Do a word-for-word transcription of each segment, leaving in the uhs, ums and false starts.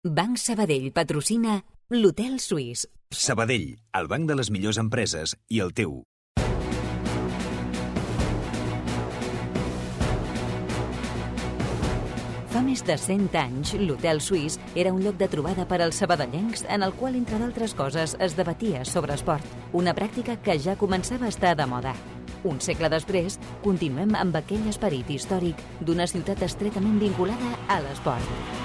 Banc Sabadell patrocina l'Hotel Suís. Sabadell, el banc de les millors empreses i el teu. Fa més de cent anys, l'Hotel Suís era un lloc de trobada per als sabadellencs en el qual, entre d'altres coses, es debatia sobre esport, una pràctica que ja començava a estar de moda. Un segle després, continuem amb aquell esperit històric d'una ciutat estretament vinculada a l'esport.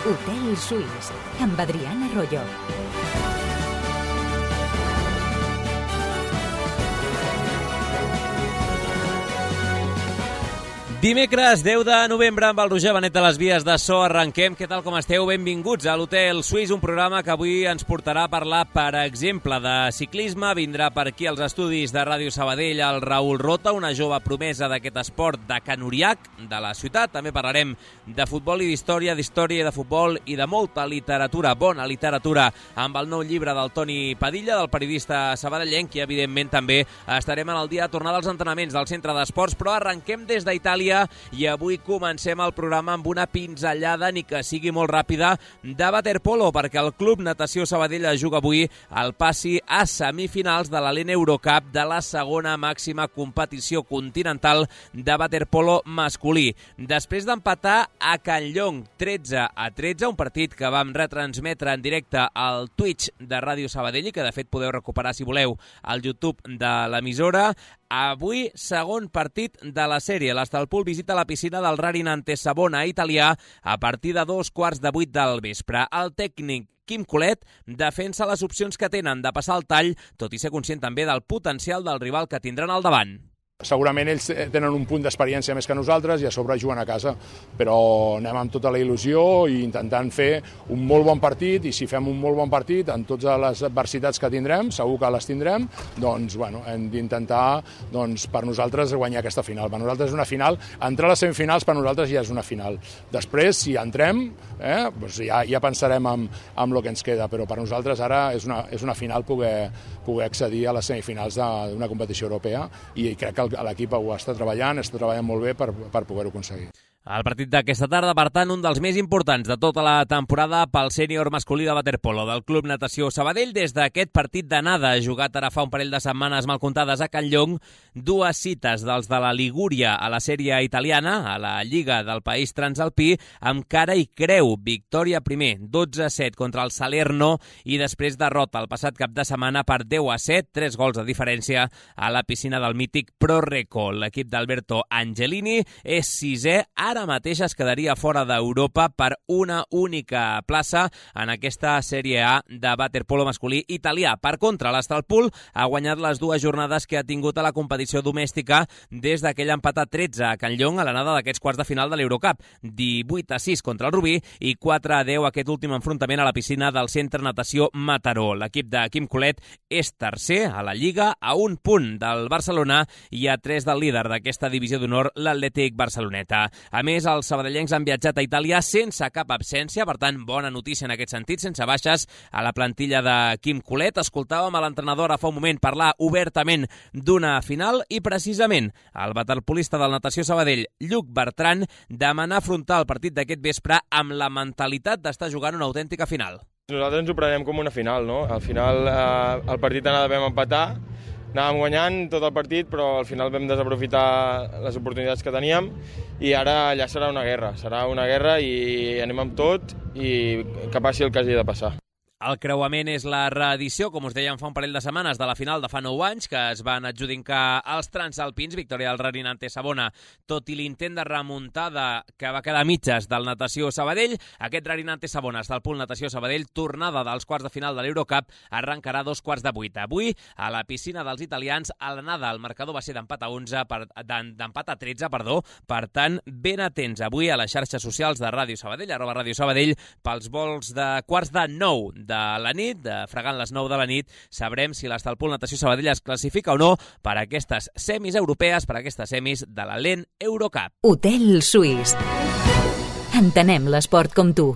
Hotel Suís, amb Adriana Arroyo. Dimecres, deu de novembre, amb el Roger Benet de les Vies de So, arrenquem. Què tal, com esteu? Benvinguts a l'Hotel Suís, un programa que avui ens portarà a parlar, per exemple, de ciclisme. Vindrà per aquí als estudis de Ràdio Sabadell el Raül Rota, una jove promesa d'aquest esport de Can-Uriac, de la ciutat. També parlarem de futbol i d'història, d'història i de futbol i de molta literatura, bona literatura, amb el nou llibre del Toni Padilla, del periodista sabadellenc, i evidentment també estarem en el dia de tornada als entrenaments del Centre d'Esports, però arrenquem des d'Itàlia i avui comencem el programa amb una pinzellada, ni que sigui molt ràpida, de waterpolo, perquè el Club Natació Sabadell juga avui el passi a semifinals de la L E N Eurocup, de la segona màxima competició continental de waterpolo masculí. Després d'empatar a Campllong tretze a tretze, un partit que vam retransmetre en directe al Twitch de Ràdio Sabadell i que de fet podeu recuperar, si voleu, al YouTube de l'emissora. Avui, segon partit de la sèrie. L'Estalpul visita la piscina del Rarinante Savona italià a partir de dos quarts de vuit del vespre. El tècnic Quim Colet defensa les opcions que tenen de passar el tall, tot i ser conscient també del potencial del rival que tindran al davant. Segurament ells tenen un punt d'experiència més que nosaltres i a sobre juguen a casa, però anem amb tota la il·lusió i intentant fer un molt bon partit, i si fem un molt bon partit amb totes les adversitats que tindrem, segur que les tindrem, doncs bueno, hem d'intentar doncs, per nosaltres guanyar aquesta final. Per nosaltres és una final, entrar a les semifinals per nosaltres ja és una final. Després, si entrem, eh, doncs ja, ja pensarem en, en el que ens queda, però per nosaltres ara és una, és una final poder, poder accedir a les semifinals d'una competició europea, i crec que l'equip ho està treballant, està treballant molt bé per, per poder-ho aconseguir. El partit d'aquesta tarda, per tant, un dels més importants de tota la temporada pel sènior masculí de waterpolo del Club Natació Sabadell. Des d'aquest partit d'anada, jugat ara fa un parell de setmanes mal comptades a Campllong, dues cites dels de la Ligúria a la sèrie italiana, a la Lliga del País Transalpí, amb cara i creu. Victòria primer, dotze a set contra el Salerno, i després derrota el passat cap de setmana per deu a set, tres gols de diferència a la piscina del mític Pro Reco. L'equip d'Alberto Angelini és sisè, ara mateix es quedaria fora d'Europa per una única plaça en aquesta sèrie A de waterpolo masculí italià. Per contra, l'Estalpul ha guanyat les dues jornades que ha tingut a la competició domèstica des d'aquell empat a tretze a Campllong a l'anada d'aquests quarts de final de l'Eurocup. divuit a sis contra el Rubí i quatre a deu aquest últim enfrontament a la piscina del Centre Natació Mataró. L'equip de Quim Colet és tercer a la Lliga, a un punt del Barcelona i a tres del líder d'aquesta divisió d'honor, l'Atlètic Barceloneta. A més, els sabadellencs han viatjat a Itàlia sense cap absència, per tant, bona notícia en aquest sentit, sense baixes a la plantilla de Quim Colet. Escoltàvem a l'entrenador a fa un moment parlar obertament d'una final i, precisament, el waterpolista del Natació Sabadell, Lluc Bertran, demanar afrontar el partit d'aquest vespre amb la mentalitat d'estar jugant una autèntica final. Nosaltres ens ho prenem com una final, no? Al final, eh, el partit d'anada vam empatar, anàvem guanyant tot el partit, però al final vam desaprofitar les oportunitats que teníem, i ara ja serà una guerra, serà una guerra i anem amb tot i que passi el que hagi de passar. El creuament és la reedició, com us dèiem fa un parell de setmanes, de la final de fa nou anys, que es van adjudicar els transalpins, victòria del Rarinante Savona, tot i l'intent de remuntada que va quedar a mitges del Natació Sabadell. Aquest Rarinante Savona, Estalpul Natació Sabadell, tornada dels quarts de final de l'Eurocup, arrencarà a dos quarts de vuit. Avui, a la piscina dels italians, a l'anada el marcador va ser d'empat a onze, per, d'empat a tretze, perdó, per tant, ben atents avui a les xarxes socials de Ràdio Sabadell, arroba Ràdio Sabadell, pels vols de quarts de nou de la nit, de fregant les nou de la nit, sabrem si l'Estalpul Natació Sabadell es classifica o no per aquestes semis europees, per aquestes semis de la L E N Eurocup. Hotel Suís. Entenem l'esport com tu.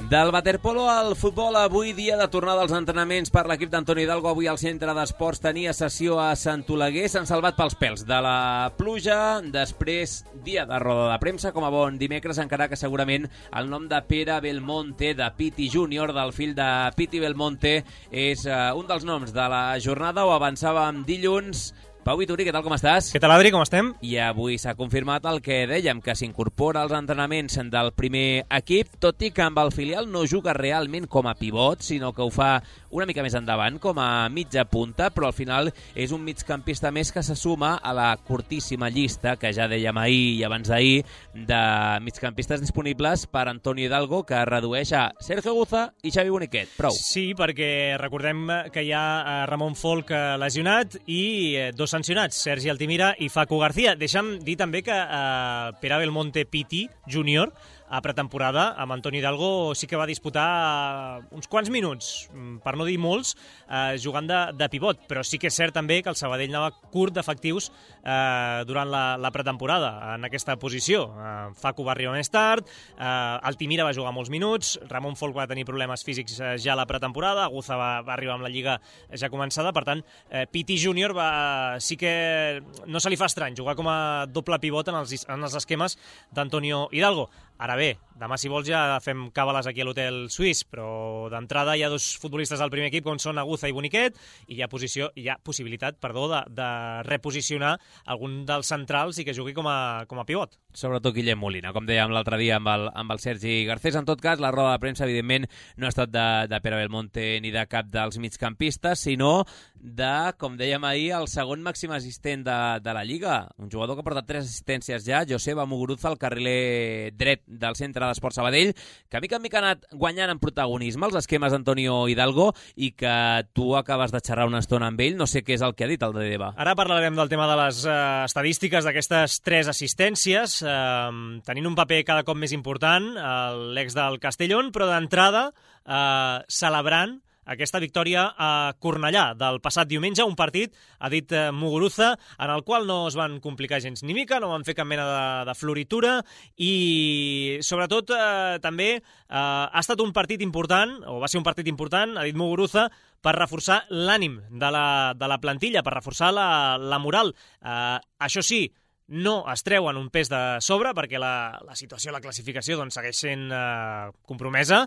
Del waterpolo al futbol, avui dia de tornada als entrenaments per l'equip d'Antoni Hidalgo. Avui el centre d'esports tenia sessió a Sant Oleguer. S'han salvat pels pèls de la pluja. Després, dia de roda de premsa, com a bon dimecres, encara que segurament el nom de Pere Belmonte, de Piti Júnior, del fill de Piti Belmonte, és uh, un dels noms de la jornada. Ho avançàvem dilluns. Pau Vituri, què tal, com estàs? Què tal, Adri, com estem? I avui s'ha confirmat el que dèiem, que s'incorpora als entrenaments del primer equip, tot i que amb el filial no juga realment com a pivot, sinó que ho fa una mica més endavant, com a mitja punta, però al final és un migcampista més que se suma a la curtíssima llista, que ja dèiem ahir i abans d'ahir, de migcampistes disponibles per Antoni Hidalgo, que redueix a Sergio Guza i Xavi Boniquet. Prou. Sí, perquè recordem que hi ha Ramon Folk lesionat i dos sancionats, Sergi Altimira i Facu García. Deixa'm dir també que eh, Pere Belmonte Piti Júnior a pretemporada amb Antoni Hidalgo sí que va disputar uns quants minuts, per no dir molts, eh, jugant de, de pivot, però sí que és cert també que el Sabadell anava curt d'efectius eh, durant la, la pretemporada en aquesta posició. Eh, Facu va arribar més tard, eh, Altimira va jugar molts minuts, Ramon Folk va tenir problemes físics eh, ja a la pretemporada, Guza va, va arribar amb la Lliga ja començada, per tant, eh, Piti Júnior va, sí que no se li fa estrany jugar com a doble pivot en els, en els esquemes d'Antonio Hidalgo. Ara bé, demà, si vols, ja fem càbales aquí a l'Hotel Suís, però d'entrada hi ha dos futbolistes del primer equip, com són Aguza i Boniquet, i hi ha, posició, hi ha possibilitat perdó, de, de reposicionar algun dels centrals i que jugui com a, com a pivot. Sobretot Guillem Molina, com dèiem l'altre dia amb el, amb el Sergi Garcés. En tot cas, la roda de premsa, evidentment, no ha estat de, de Pere Belmonte ni de cap dels migcampistes, sinó de, com dèiem ahir, el segon màxim assistent de, de la Lliga. Un jugador que ha portat tres assistències ja, Joseba Muguruza, el carriler dret del centre d'Esport Sabadell, que mica en mica ha anat guanyant en protagonisme els esquemes d'Antonio Hidalgo i que tu acabes de xerrar una estona amb ell. No sé què és el que ha dit el de Deva. Ara parlarem del tema de les uh, estadístiques d'aquestes tres assistències, uh, tenint un paper cada cop més important, uh, l'ex del Castellón, però d'entrada uh, celebrant aquesta victòria a Cornellà del passat diumenge, un partit, ha dit eh, Muguruza, en el qual no es van complicar gens ni mica, no van fer cap mena de, de floritura i, sobretot, eh, també eh, ha estat un partit important, o va ser un partit important, ha dit Muguruza, per reforçar l'ànim de la, de la plantilla, per reforçar la, la moral. Eh, això sí, no es treuen un pes de sobre perquè la, la situació, la classificació doncs, segueix sent eh, compromesa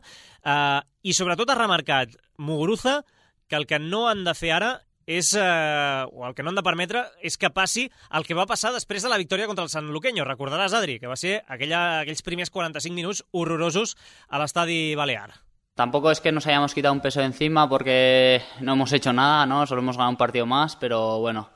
eh, i sobretot ha remarcat Muguruza que el que no han de fer ara és, eh, o el que no han de permetre és que passi el que va passar després de la victòria contra el Sanluqueño. Recordaràs, Adri, que va ser aquella, aquells primers quaranta-cinc minuts horrorosos a l'estadi Balear. Tampoco es que nos hayamos quitado un peso de encima porque no hemos hecho nada, ¿no? Solo hemos ganado un partido más, pero bueno,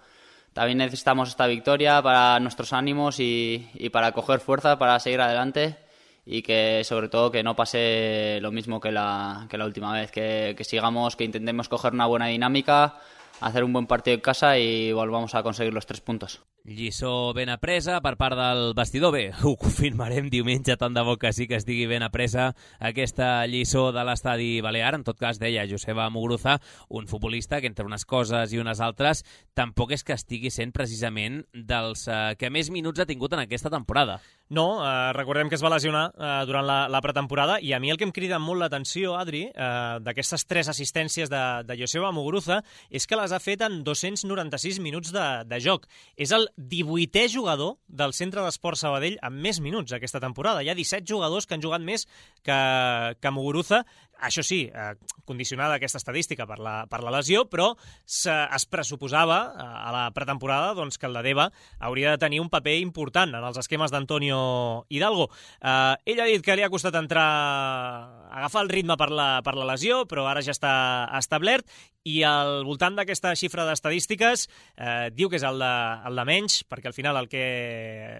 también necesitamos esta victoria para nuestros ánimos y, y para coger fuerza, para seguir adelante y que sobre todo que no pase lo mismo que la, que la última vez, que, que sigamos, que intentemos coger una buena dinámica, hacer un buen partido en casa y volvamos a conseguir los tres puntos. Lliçó ben apresa per part del vestidor. Bé, ho confirmarem diumenge, tant de bo que sí que estigui ben apresa aquesta lliçó de l'estadi Balear. En tot cas, deia Joseba Muguruza, un futbolista que entre unes coses i unes altres tampoc és que estigui sent precisament dels eh, que més minuts ha tingut en aquesta temporada. No, eh, recordem que es va lesionar eh, durant la, la pretemporada i a mi el que em crida molt l'atenció, Adri, eh, d'aquestes tres assistències de, de Joseba Muguruza és que les ha fet en dos-cents noranta-sis minuts de, de joc. És el divuitè jugador del Centre d'Esport Sabadell amb més minuts aquesta temporada. Hi ha disset jugadors que han jugat més que, que Muguruza. Això sí, eh, condicionada aquesta estadística per la, per la lesió, però se, es pressuposava eh, a la pretemporada doncs, que el de Deva hauria de tenir un paper important en els esquemes d'Antonio Hidalgo. Eh, ell ha dit que li ha costat entrar, agafar el ritme per la, per la lesió, però ara ja està establert, i al voltant d'aquesta xifra d'estadístiques eh, diu que és el de, el de menys, perquè al final el que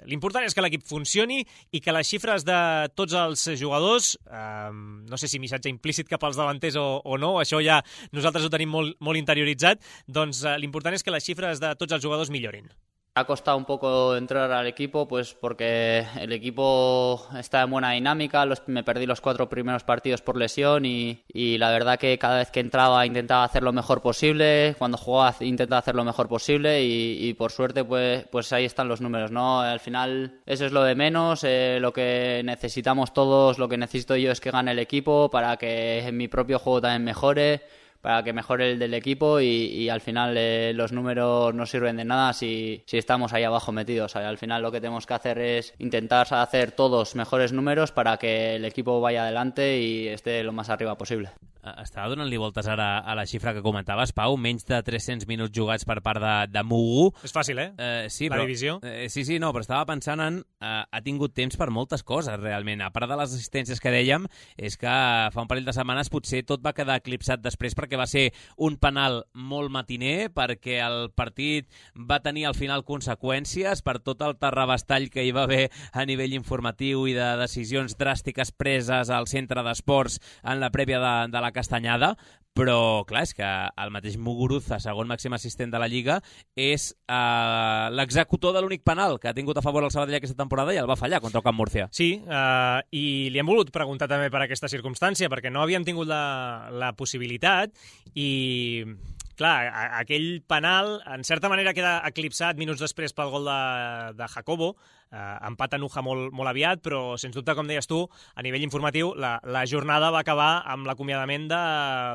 l'important és que l'equip funcioni i que les xifres de tots els jugadors, eh, no sé si missatge implícit cap als davanters o, o no, això ja nosaltres ho tenim molt, molt interioritzat, doncs eh, l'important és que les xifres de tots els jugadors millorin. Ha costado un poco entrar al equipo, pues porque el equipo está en buena dinámica. Los, me perdí los cuatro primeros partidos por lesión y, y la verdad que cada vez que entraba intentaba hacer lo mejor posible. Cuando jugaba intentaba hacer lo mejor posible y, y por suerte pues, pues ahí están los números, ¿no? Al final eso es lo de menos. Eh, lo que necesitamos todos, lo que necesito yo es que gane el equipo para que mi propio juego también mejore, para que mejore el del equipo y, y al final eh, los números no sirven de nada si, si estamos ahí abajo metidos. Al final lo que tenemos que hacer es intentar hacer todos mejores números para que el equipo vaya adelante y esté lo más arriba possible. Estava donant-li voltes ara a la xifra que comentaves, Pau, menys de tres-cents minuts jugats per part de, de Mugu. És fàcil, eh? eh sí, la però, divisió. Eh, sí, sí, no, però estava pensant en... Eh, ha tingut temps per moltes coses, realment. A part de les assistències que dèiem, és que fa un parell de setmanes potser tot va quedar eclipsat després perquè va ser un penal molt matiner, perquè el partit va tenir al final conseqüències per tot el terrabastall que hi va haver a nivell informatiu i de decisions dràstiques preses al centre d'esports en la prèvia de, de la Castanyada, però clar, és que el mateix Muguruza, segon màxim assistent de la Lliga, és eh, l'executor de l'únic penal que ha tingut a favor el Sabadell aquesta temporada i el va fallar contra el Camp Múrcia. Sí, eh, i li hem volut preguntar també per aquesta circumstància, perquè no havíem tingut la, la possibilitat i... Clar, aquell penal, en certa manera, queda eclipsat minuts després pel gol de, de Jacobo. Eh, empat a Nuja molt, molt aviat, però, sens dubte, com deies tu, a nivell informatiu, la, la jornada va acabar amb l'acomiadament de,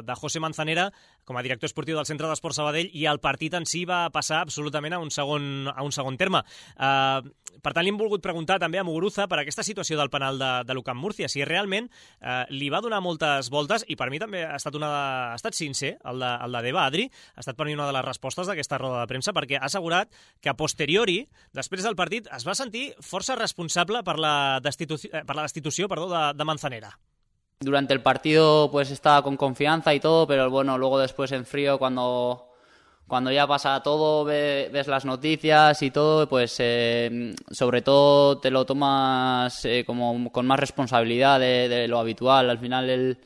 de José Manzanera com a director esportiu del Centre d'Esports Sabadell i el partit en si va passar absolutament a un segon, a un segon terme. Eh, per tant, li hem volgut preguntar també a Muguruza per aquesta situació del penal de, de l'U Camp Múrcia, si realment eh, li va donar moltes voltes, i per mi també ha estat, una de, ha estat sincer, el de, el de Deva, Adri, ha estat per mi una de les respostes d'aquesta roda de premsa, perquè ha assegurat que a posteriori, després del partit, es va sentir força responsable per la destitució, per la destitució perdó, de, de Manzanera. Durante el partido pues estaba con confianza y todo, pero bueno, luego después en frío cuando, cuando ya pasa todo, ve, ves las noticias y todo, pues eh, sobre todo te lo tomas eh, como con más responsabilidad de, de lo habitual. Al final el,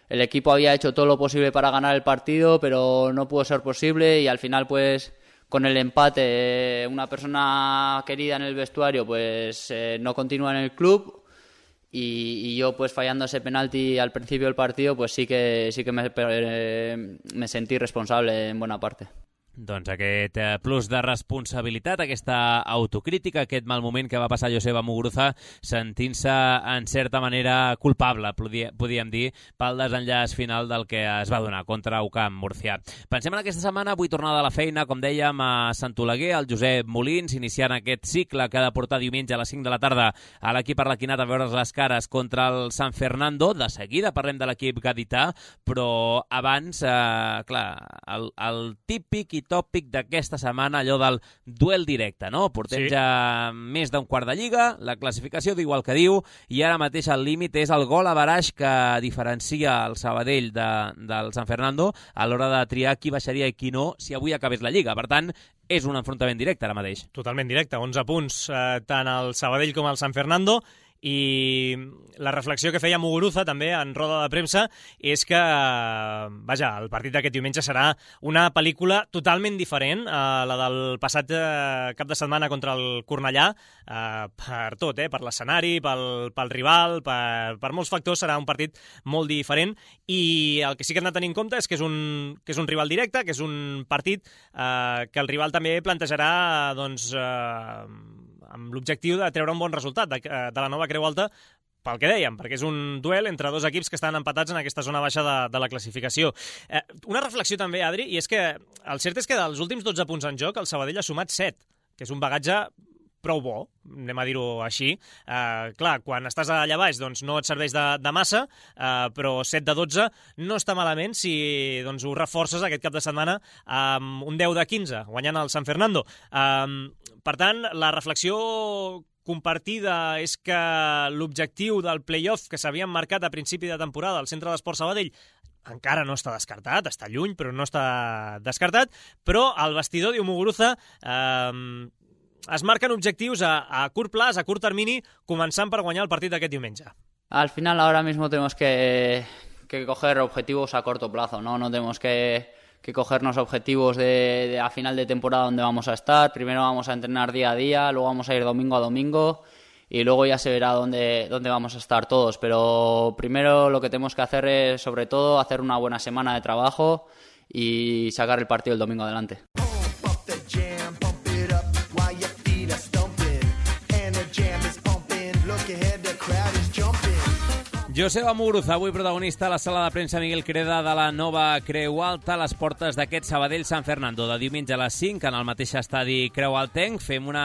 el equipo había hecho todo lo posible para ganar el partido, pero no pudo ser posible y al final pues con el empate eh, una persona querida en el vestuario pues eh, no continúa en el club. Y, y yo pues fallando ese penalti al principio del partido pues sí que, sí que me, eh, me sentí responsable en buena parte. Doncs aquest plus de responsabilitat, aquesta autocrítica, aquest mal moment que va passar Joseba Muguruza sentint-se en certa manera culpable, podíem dir, pel desenllaç final del que es va donar contra U Camp Múrcia. Pensem en aquesta setmana, avui tornada a la feina, com dèiem, a Sant Oleguer, el Josep Molins, iniciant aquest cicle que ha de portar diumenge a les cinc de la tarda a l'equip arlequinat a veure's les cares contra el San Fernando. De seguida parlem de l'equip gadità, però abans, eh, clar, el, el típic i tòpic d'aquesta setmana, allò del duel directe, no? Portem sí. ja més d'un quart de Lliga, la classificació diu el que diu, i ara mateix el límit és el gol a baraix que diferencia el Sabadell de, del San Fernando a l'hora de triar qui baixaria i qui no si avui acabés la Lliga. Per tant, és un enfrontament directe ara mateix. Totalment directe, onze punts, eh, tant el Sabadell com el San Fernando. I la reflexió que feia Muguruza també en roda de premsa és que, vaja, el partit d'aquest diumenge serà una pel·lícula totalment diferent a la del passat cap de setmana contra el Cornellà, eh, per tot, eh, per l'escenari, pel, pel rival, per, per molts factors serà un partit molt diferent i el que sí que hem de tenir en compte és que és un, que és un rival directe, que és un partit eh, que el rival també plantejarà doncs, eh, amb l'objectiu de treure un bon resultat de, de la nova Creu Alta, pel que dèiem, perquè és un duel entre dos equips que estan empatats en aquesta zona baixa de, de la classificació. Eh, una reflexió també, Adri, i és que el cert és que dels últims dotze punts en joc el Sabadell ha sumat set, que és un bagatge prou bo, anem a dir-ho així. Eh, clar, quan estàs allà baix doncs no et serveix de, de massa, eh, però set de dotze no està malament si doncs, ho reforces aquest cap de setmana amb un deu de quinze, guanyant el San Fernando. Eh, per tant, la reflexió compartida és que l'objectiu del play-off que s'havien marcat a principi de temporada al Centre d'Esports Sabadell encara no està descartat, està lluny, però no està descartat, però el vestidor, diu Muguruza, eh, es marquen objectius a, a curt plaç, a curt termini, començant per guanyar el partit d'aquest diumenge. Al final ahora mismo tenemos que, que coger objetivos a corto plazo, ¿no? No tenemos que que cogernos objetivos de, de a final de temporada donde vamos a estar. Primero vamos a entrenar día a día, luego vamos a ir domingo a domingo y luego ya se verá dónde, dónde vamos a estar todos. Pero primero lo que tenemos que hacer es, sobre todo, hacer una buena semana de trabajo y sacar el partido el domingo adelante. Joseba Muguruza, avui protagonista a la sala de premsa Miguel Creda de la nova Creu Alta, a les portes d'aquest Sabadell-San Fernando, de diumenge a les cinc, en el mateix estadi Creu Altenc. Fem un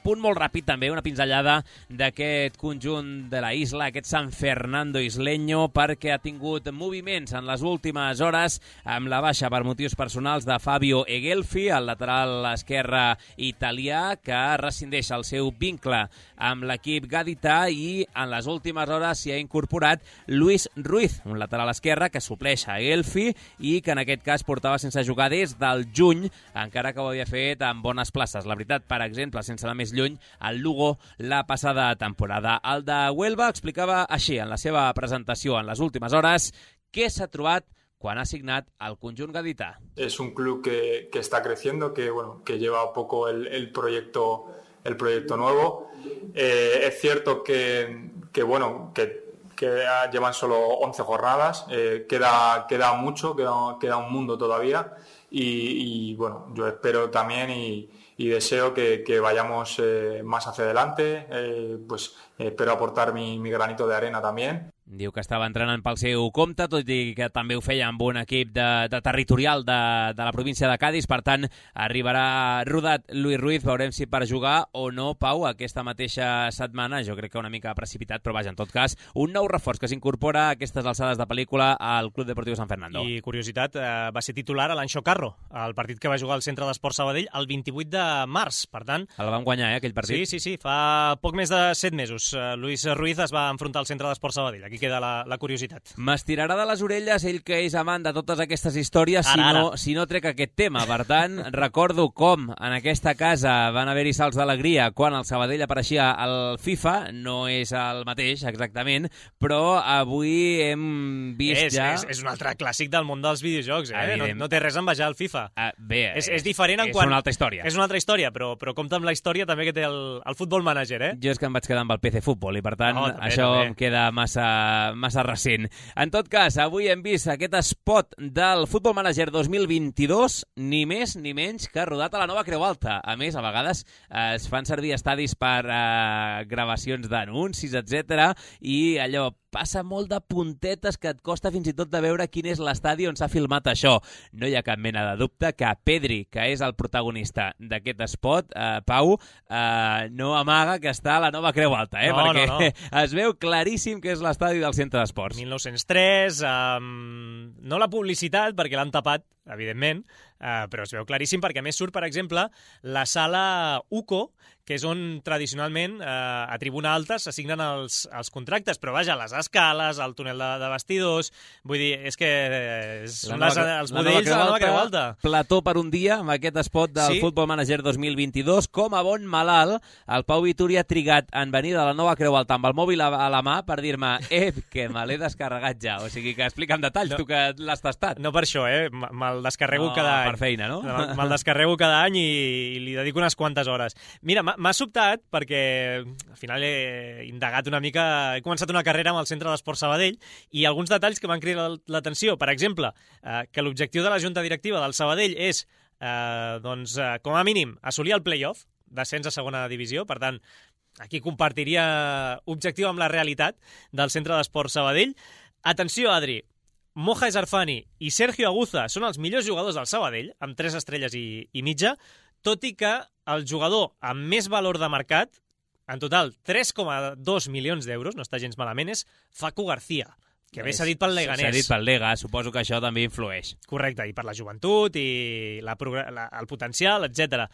punt molt ràpid també, una pinzellada d'aquest conjunt de la isla, aquest San Fernando isleño, perquè ha tingut moviments en les últimes hores amb la baixa per motius personals de Fabio Egelfi, el lateral esquerre italià, que rescindeix el seu vincle amb l'equip gadità, i en les últimes hores s'hi ha incorporat Luis Ruiz, un lateral esquerre que supleix a Egelfi i que en aquest cas portava sense jugar des del juny, encara que ho havia fet en bones places. La veritat, per exemple, sense anar més lluny, el Lugo la passada temporada. El de Huelva explicava així en la seva presentació en les últimes hores què s'ha trobat quan ha signat el conjunt gadità. Es un club que, que está creciendo, que, bueno, que lleva poco el, el, proyecto, el proyecto nuevo. Eh, es cierto que, que bueno, que que llevan solo once jornadas, eh, queda, queda mucho, queda, queda un mundo todavía y, y bueno, yo espero también y, y deseo que, que vayamos eh, más hacia adelante, eh, pues eh, espero aportar mi, mi granito de arena también. Diu que estava entrenant pel seu compte, tot i que també ho feia amb un equip de, de territorial de, de la província de Cádiz. Per tant, arribarà rodat Luis Ruiz. Veurem si per jugar o no, Pau, aquesta mateixa setmana. Jo crec que una mica precipitat, però vaja, en tot cas, un nou reforç que s'incorpora a aquestes alçades de pel·lícula al Club Deportiu San Fernando. I, curiositat, eh, va ser titular a l'Anxo Carro, el partit que va jugar al Centre d'Esport Sabadell el vint-i-vuit de març. Per tant... El van guanyar, eh, aquell partit? Sí, sí, sí. Fa poc més de set mesos. Luis Ruiz es va enfrontar al Centre d'Esport Sabadell. Aquí queda la, la curiositat. M'estirarà de les orelles ell, que és amant de totes aquestes històries, ara, si, no, ara. si no trec aquest tema. Per tant, recordo com en aquesta casa van haver-hi salts d'alegria quan el Sabadell apareixia al FIFA. No és el mateix, exactament, però avui hem vist és, ja... És, és un altre clàssic del món dels videojocs, eh? No, no té res a envejar al FIFA. Uh, bé, és, és diferent en és quan... una altra història. És una altra història, però, però compta amb la història també que té el, el Football Manager, eh? Jo és que em vaig quedar amb el P C Futbol i, per tant, no, també, això també. em queda massa, massa recent. En tot cas, avui hem vist aquest spot del Football Manager dos mil vint-i-dos, ni més ni menys que rodat a la nova Creu Alta. A més, a vegades eh, es fan servir estadis per eh, gravacions d'anuncis, etcètera, i allò passa molt de puntetes que et costa fins i tot de veure quin és l'estadi on s'ha filmat això. No hi ha cap mena de dubte que Pedri, que és el protagonista d'aquest spot, eh, Pau, eh, no amaga que està a la nova Creu Alta, eh? No, perquè no, no. es veu claríssim que és l'estadi del Centre d'Esports. mil nou-cents tres, um, no la publicitat, perquè l'han tapat, evidentment, uh, però es veu claríssim perquè a més surt, per exemple, la sala U C O, que és on tradicionalment eh, a tribuna alta s'assignen els, els contractes, però vaja, les escales, el túnel de, de vestidors, vull dir, és que eh, són les, els budells de la nova Creu Alta. Plató per un dia amb aquest spot del sí? Football Manager dos mil vint-i-dos. Com a bon malalt, el Pau Vituri ha trigat en venir de la nova Creu Alta amb el mòbil a, a la mà per dir-me, eh, que me l'he descarregat ja. O sigui que explica'm detalls, no, tu que l'has tastat. No per això, eh? Me'l descarrego no, cada any. Per feina, no? Me'l descarrego cada any i, i li dedico unes quantes hores. Mira, m'ha sobtat perquè al final he indagat una mica, he començat una carrera amb el Centre d'Esport Sabadell i alguns detalls que m'han cridat l'atenció. Per exemple, eh, que l'objectiu de la Junta Directiva del Sabadell és, eh, doncs, eh, com a mínim, assolir el play-off, d'ascens a segona divisió. Per tant, aquí compartiria objectiu amb la realitat del Centre d'Esport Sabadell. Atenció, Adri, Moja Esarfani i Sergio Aguza són els millors jugadors del Sabadell, amb tres estrelles i, i mitja, tot i que el jugador amb més valor de mercat, en total tres coma dos milions d'euros, no està gens malament, és Facu García, que bé s'ha dit pel Leganés. S'ha dit pel Lega, suposo que això també influeix. Correcte, i per la joventut, i la, la, el potencial, etcètera.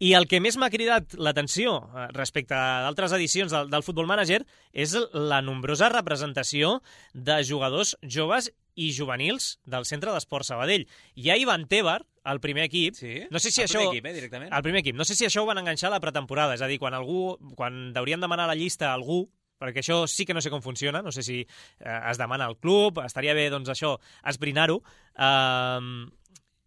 I el que més m'ha cridat l'atenció respecte a d'altres edicions del, del Football Manager és la nombrosa representació de jugadors joves i juvenils del Centre d'Esport Sabadell. Hi ha Ivan Tebar, el primer equip. Sí? No sé si el això, primer equip, eh, directament? El primer equip. No sé si això ho van enganxar a la pretemporada. És a dir, quan algú, quan deurien demanar la llista a algú, perquè això sí que no sé com funciona, no sé si eh, es demana al club, estaria bé, doncs, això, esbrinar-ho. Uh,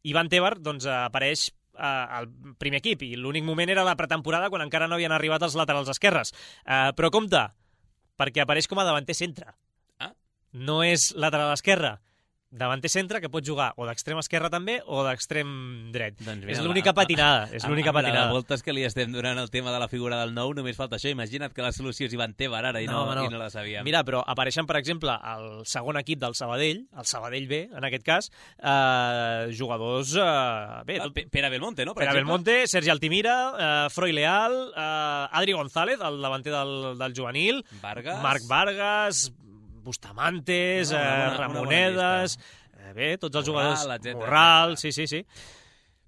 Ivan Tebar doncs, apareix al primer equip, i l'únic moment era la pretemporada quan encara no havien arribat els laterals esquerres. Uh, però compte, perquè apareix com a davanter centre. Ah? No és lateral esquerre. Davanter centre, que pot jugar o d'extrem esquerre també o d'extrem dret. Doncs mira, és l'única patinada. És l'única amb, amb patinada. la voltes que li estem donant el tema de la figura del nou, només falta això. Imagina't que la solució és Ivan Tebar ara i no, no, no. I no la sabíem. Mira, però apareixen, per exemple, al segon equip del Sabadell, el Sabadell B, en aquest cas, eh, jugadors... Eh, bé, tot... Pere Belmonte, no? Per Pere exemple? Belmonte, Sergi Altimira, eh, Froi Leal, eh, Adri González, el davanter del, del juvenil, Vargas. Marc Vargas, Bustamantes, no, eh, una, Ramonedes... Eh, bé, tots els Morral, jugadors... etcètera, Morral, etcètera. sí, sí, sí.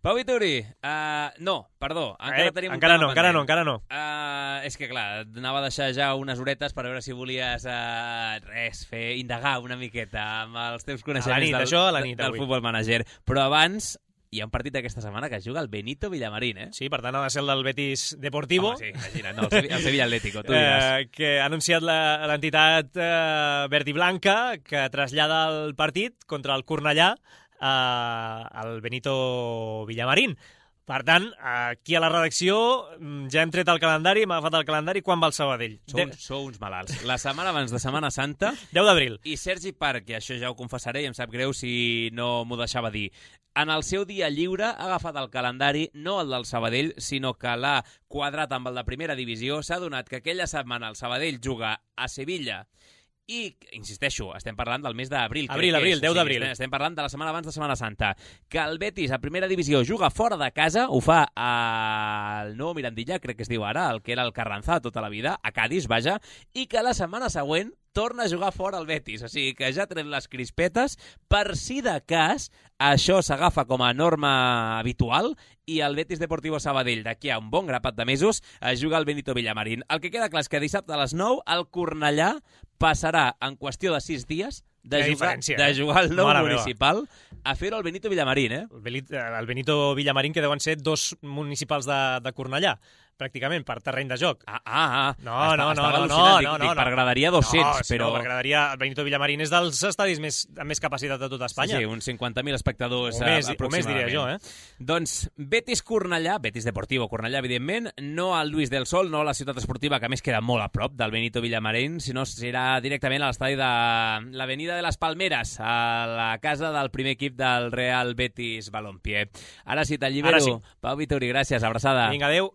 Pau Vituri, uh, no, perdó, encara eh, tenim un encara tema no, encara pendent. no, encara no. Uh, és que, clar, anava a deixar ja unes horetes per veure si volies, uh, res, fer, indagar una miqueta amb els teus coneixements a la nit, del, això, a la nit, del avui. Futbol Manager. Però abans hi ha un partit d'aquesta setmana que es juga el Benito Villamarín, eh? Sí, per tant ha de ser el del Betis Deportivo. Home, sí, imagina't, no, el, Sevilla, el Sevilla Atlético, tu diràs. Eh, que ha anunciat l'entitat eh, verd i blanca que trasllada el partit contra el Cornellà eh, al Benito Villamarín. Per tant, aquí a la redacció ja hem tret el calendari, hem agafat el calendari. Quan va el Sabadell? Sou, de... sou uns malalts. La setmana abans de Setmana Santa... deu d'abril. I Sergi Parc, i això ja ho confessaré i em sap greu si no m'ho deixava dir, en el seu dia lliure ha agafat el calendari, no el del Sabadell, sinó que l'ha quadrat amb el de primera divisió. S'ha donat que aquella setmana el Sabadell juga a Sevilla i, insisteixo, estem parlant del mes d'abril. Abril, abril, deu d'abril. Estem parlant de la setmana abans de Setmana Santa. Que el Betis, a primera divisió, juga fora de casa, ho fa al nou Mirandilla, crec que es diu ara, el que era el Carranzà tota la vida, a Cádiz, vaja, i que la setmana següent torna a jugar fora el Betis. O sigui que ja ha tret les crispetes, per si de cas això s'agafa com a norma habitual i el Betis Deportivo Sabadell d'aquí a un bon grapat de mesos es juga al Benito Villamarín. El que queda clar és que dissabte a les nou el Cornellà passarà en qüestió de sis dies de jugar, de jugar al nou municipal a fer-ho al Benito Villamarín, eh? El Benito Villamarín, que deuen ser dos municipals de, de Cornellà, pràcticament, per terreny de joc. Ah, ah, ah. No, Està, no, no, no, no, dic, no, dic, no. Per graderia dos-cents, no, però... No, per graderia, el Benito Villamarín és dels estadis més, amb més capacitat de tota Espanya. Sí, sí, uns cinquanta mil espectadors o més, aproximadament. O més, diria jo, eh? Doncs Betis Cornellà, Betis Deportivo Cornellà, evidentment, no al Lluís del Sol, no a la ciutat esportiva, que a més queda molt a prop del Benito Villamarín, sinó serà directament a l'estadi de l'Avenida de les Palmeres, a la casa del primer equip del Real Betis Balompié. Ara sí, t'allibero. Sí. Pau Vituri, gràcies, abraçada. Vinga, adéu.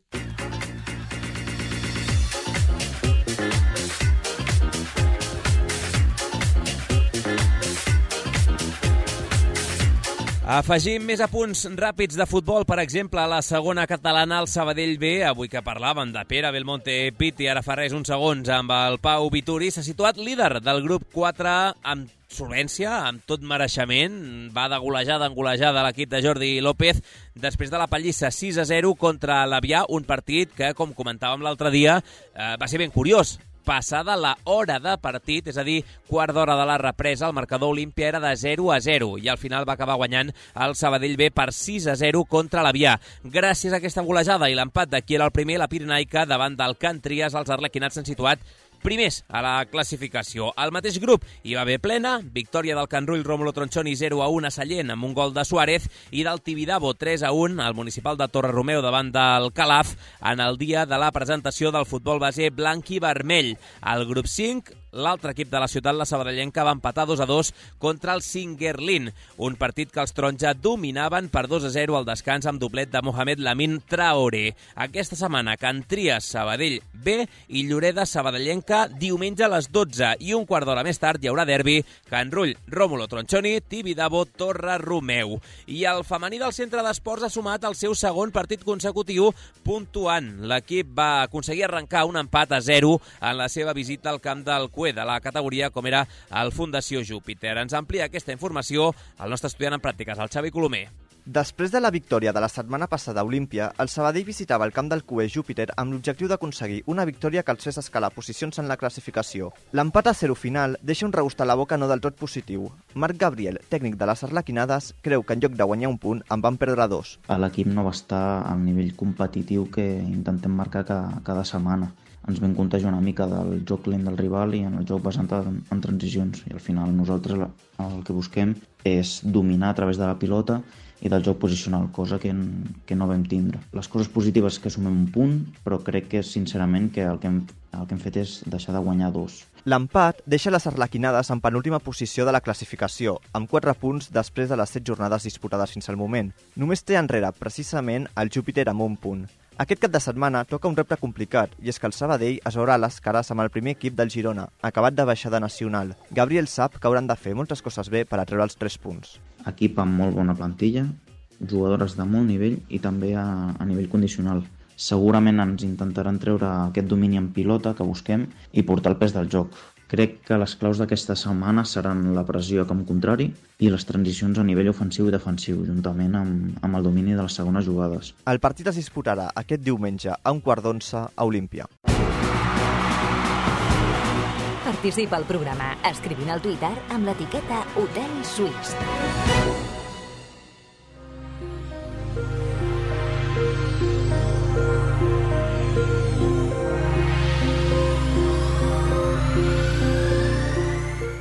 Afegim més apunts ràpids de futbol, per exemple, a la segona catalana, el Sabadell B, avui que parlàvem de Pere Belmonte Pitti, ara fa res uns segons amb el Pau Vituri, s'ha situat líder del grup quatre amb solvència, amb tot mereixement, va de golejada en golejada l'equip de Jordi López, després de la pallissa sis a zero contra l'Avià, un partit que, com comentàvem l'altre dia, eh, va ser ben curiós. Passada la hora de partit, és a dir, quart d'hora de la represa, el marcador Olímpia era de zero a zero i al final va acabar guanyant el Sabadell B per sis a zero contra l'Avià. Gràcies a aquesta golejada i l'empat de qui era el primer, la Pirenaica, davant del Can Trias, els arlequinats s'han situat primers a la classificació. Al mateix grup hi va haver plena, victòria del Can Rull Rómulo Tronchoni zero a un a Sallent amb un gol de Suárez i del Tibidabo tres a un al municipal de Torre-Romeu davant del Calaf en el dia de la presentació del futbol base blanc i vermell. Al grup cinc, l'altre equip de la ciutat, la sabadellenca, va empatar dos a dos contra el Singuerlín, un partit que els taronja dominaven per dos a zero al descans amb doblet de Mohamed Lamin Traoré. Aquesta setmana, Can Trias Sabadell B i Lloreda Sabadellenca diumenge a les dotze i un quart d'hora més tard hi haurà derbi Can Rull Rómulo Tronchoni, Tibidabo Torre-Romeu. I el femení del centre d'esports ha sumat el seu segon partit consecutiu puntuant. L'equip va aconseguir arrencar un empat a zero en la seva visita al camp del Cué de la categoria com era el Fundació Júpiter. Ens amplia aquesta informació el nostre estudiant en pràctiques, el Xavi Colomer. Després de la victòria de la setmana passada a Olímpia, el Sabadell visitava el camp del Cué Júpiter amb l'objectiu d'aconseguir una victòria que els fes escalar posicions en la classificació. L'empat a zero final deixa un regust a la boca no del tot positiu. Marc Gabriel, tècnic de les Arlequinades, creu que en lloc de guanyar un punt en van perdre dos. L'equip no va estar al nivell competitiu que intentem marcar cada, cada setmana. Ens vam contagiar una mica del joc lent del rival i en el joc basant en, en transicions. I al final nosaltres el que busquem és dominar a través de la pilota i del joc posicional, cosa que, que no vam tindre. Les coses positives que sumem un punt, però crec que sincerament que el que hem, el que hem fet és deixar de guanyar dos. L'empat deixa les arlequinades en penúltima posició de la classificació, amb quatre punts després de les set jornades disputades fins al moment. Només té enrere, precisament, el Júpiter amb un punt. Aquest cap de setmana toca un repte complicat, i és que el Sabadell es veurà les cares amb el primer equip del Girona, acabat de baixada nacional. Gabriel sap que hauran de fer moltes coses bé per a treure els tres punts. Equip amb molt bona plantilla, jugadores de molt nivell i també a, a nivell condicional. Segurament ens intentaran treure aquest domini en pilota que busquem i portar el pes del joc. Crec que les claus d'aquesta setmana seran la pressió a camp contrari i les transicions a nivell ofensiu i defensiu, juntament amb, amb el domini de les segones jugades. El partit es disputarà aquest diumenge a un quart d'onze a Olímpia. Participa al programa escrivint al Twitter amb l'etiqueta Hotel Suís.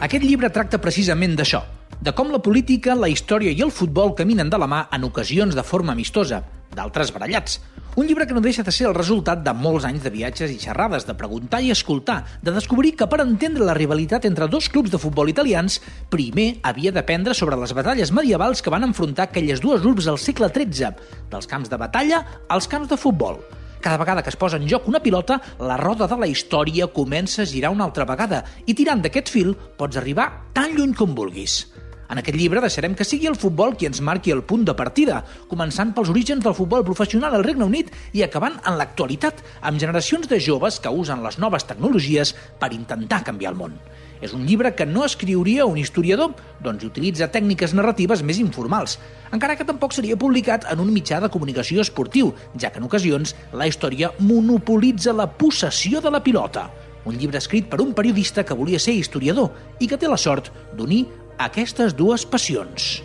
Aquest llibre tracta precisament d'això, de com la política, la història i el futbol caminen de la mà en ocasions de forma amistosa, d'altres barallats. Un llibre que no deixa de ser el resultat de molts anys de viatges i xerrades, de preguntar i escoltar, de descobrir que per entendre la rivalitat entre dos clubs de futbol italians, primer havia d'aprendre sobre les batalles medievals que van enfrontar aquelles dues urbs al segle tretze, dels camps de batalla als camps de futbol. Cada vegada que es posa en joc una pilota, la roda de la història comença a girar una altra vegada i tirant d'aquest fil pots arribar tan lluny com vulguis. En aquest llibre deixarem que sigui el futbol qui ens marqui el punt de partida, començant pels orígens del futbol professional al Regne Unit i acabant en l'actualitat amb generacions de joves que usen les noves tecnologies per intentar canviar el món. És un llibre que no escriuria un historiador, doncs utilitza tècniques narratives més informals, encara que tampoc seria publicat en un mitjà de comunicació esportiu, ja que en ocasions la història monopolitza la possessió de la pilota. Un llibre escrit per un periodista que volia ser historiador i que té la sort d'unir aquestes dues passions.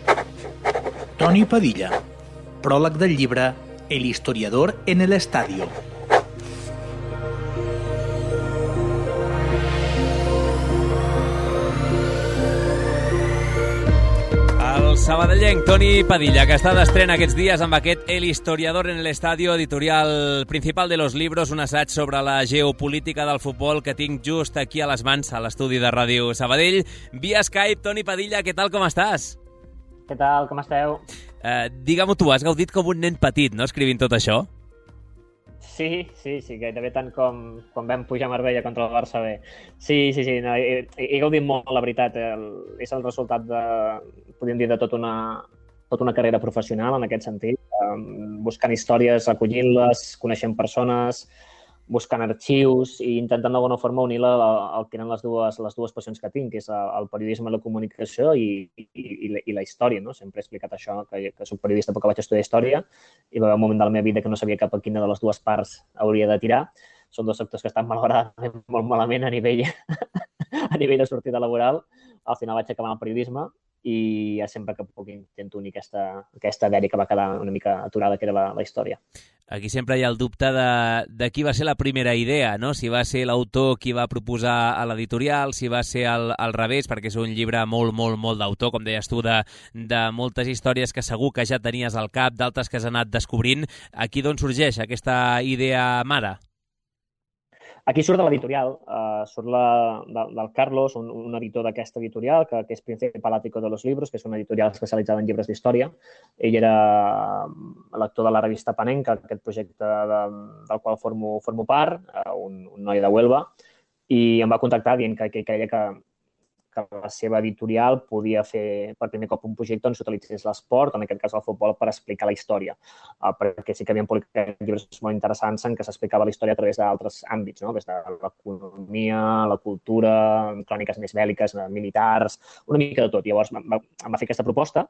Toni Padilla. Pròleg del llibre El historiador en el estadio. El sabadellenc Toni Padilla, que està d'estrena aquests dies amb aquest El historiador en el estadio, editorial principal de los libros, un assaig sobre la geopolítica del futbol que tinc just aquí a les mans, a l'estudi de Ràdio Sabadell. Via Skype, Toni Padilla, què tal, com estàs? Què tal, com esteu? Uh, Digue-m'ho tu, has gaudit com un nen petit, no?, escrivint tot això? Sí, sí, sí, gairebé tant com quan vam pujar a Marbella contra el Barça B. Sí, sí, sí, no, he, he gaudit molt, la veritat. El, és el resultat de, podríem dir, de tota una, tota una carrera professional, en aquest sentit, um, buscant històries, recollint-les, coneixent persones, buscant arxius i intentant d'alguna forma unir la, el que eren les dues, les dues passions que tinc, que és el, el periodisme i la comunicació i, i, i, la, i la història, no? Sempre he explicat això, que, que soc periodista perquè vaig estudiar història i va haver un moment de la meva vida que no sabia cap a quina de les dues parts hauria de tirar. Són dos sectors que estan malauradament molt malament a nivell, a nivell de sortida laboral. Al final vaig acabar en el periodisme i ja sempre que puc intento unir aquesta, aquesta dèria que va quedar una mica aturada, que era la, la història. Aquí sempre hi ha el dubte de, de qui va ser la primera idea, no? Si va ser l'autor qui va proposar a l'editorial, si va ser al, al revés, perquè és un llibre molt, molt, molt d'autor, com deies tu, de, de moltes històries que segur que ja tenies al cap, d'altres que has anat descobrint. Aquí d'on sorgeix aquesta idea mare? Aquí surt de l'editorial, uh, surt la, de, del Carlos, un, un editor d'aquesta editorial, que, que és Principal Ático de los Libros, que és una editorial especialitzada en llibres d'història. Ell era lector de la revista Panenka, aquest projecte de, del qual formo, formo part, uh, un, un noi de Huelva, i em va contactar dient que, que creia que, que la seva editorial podia fer per primer cop un projecte on s'utilitzés l'esport, en aquest cas el futbol, per explicar la història. Uh, perquè sí que havien publicat llibres molt interessants en què s'explicava la història a través d'altres àmbits, no? Des de l'economia, la cultura, cròniques més bèl·liques, militars, una mica de tot. Llavors em va, em va fer aquesta proposta,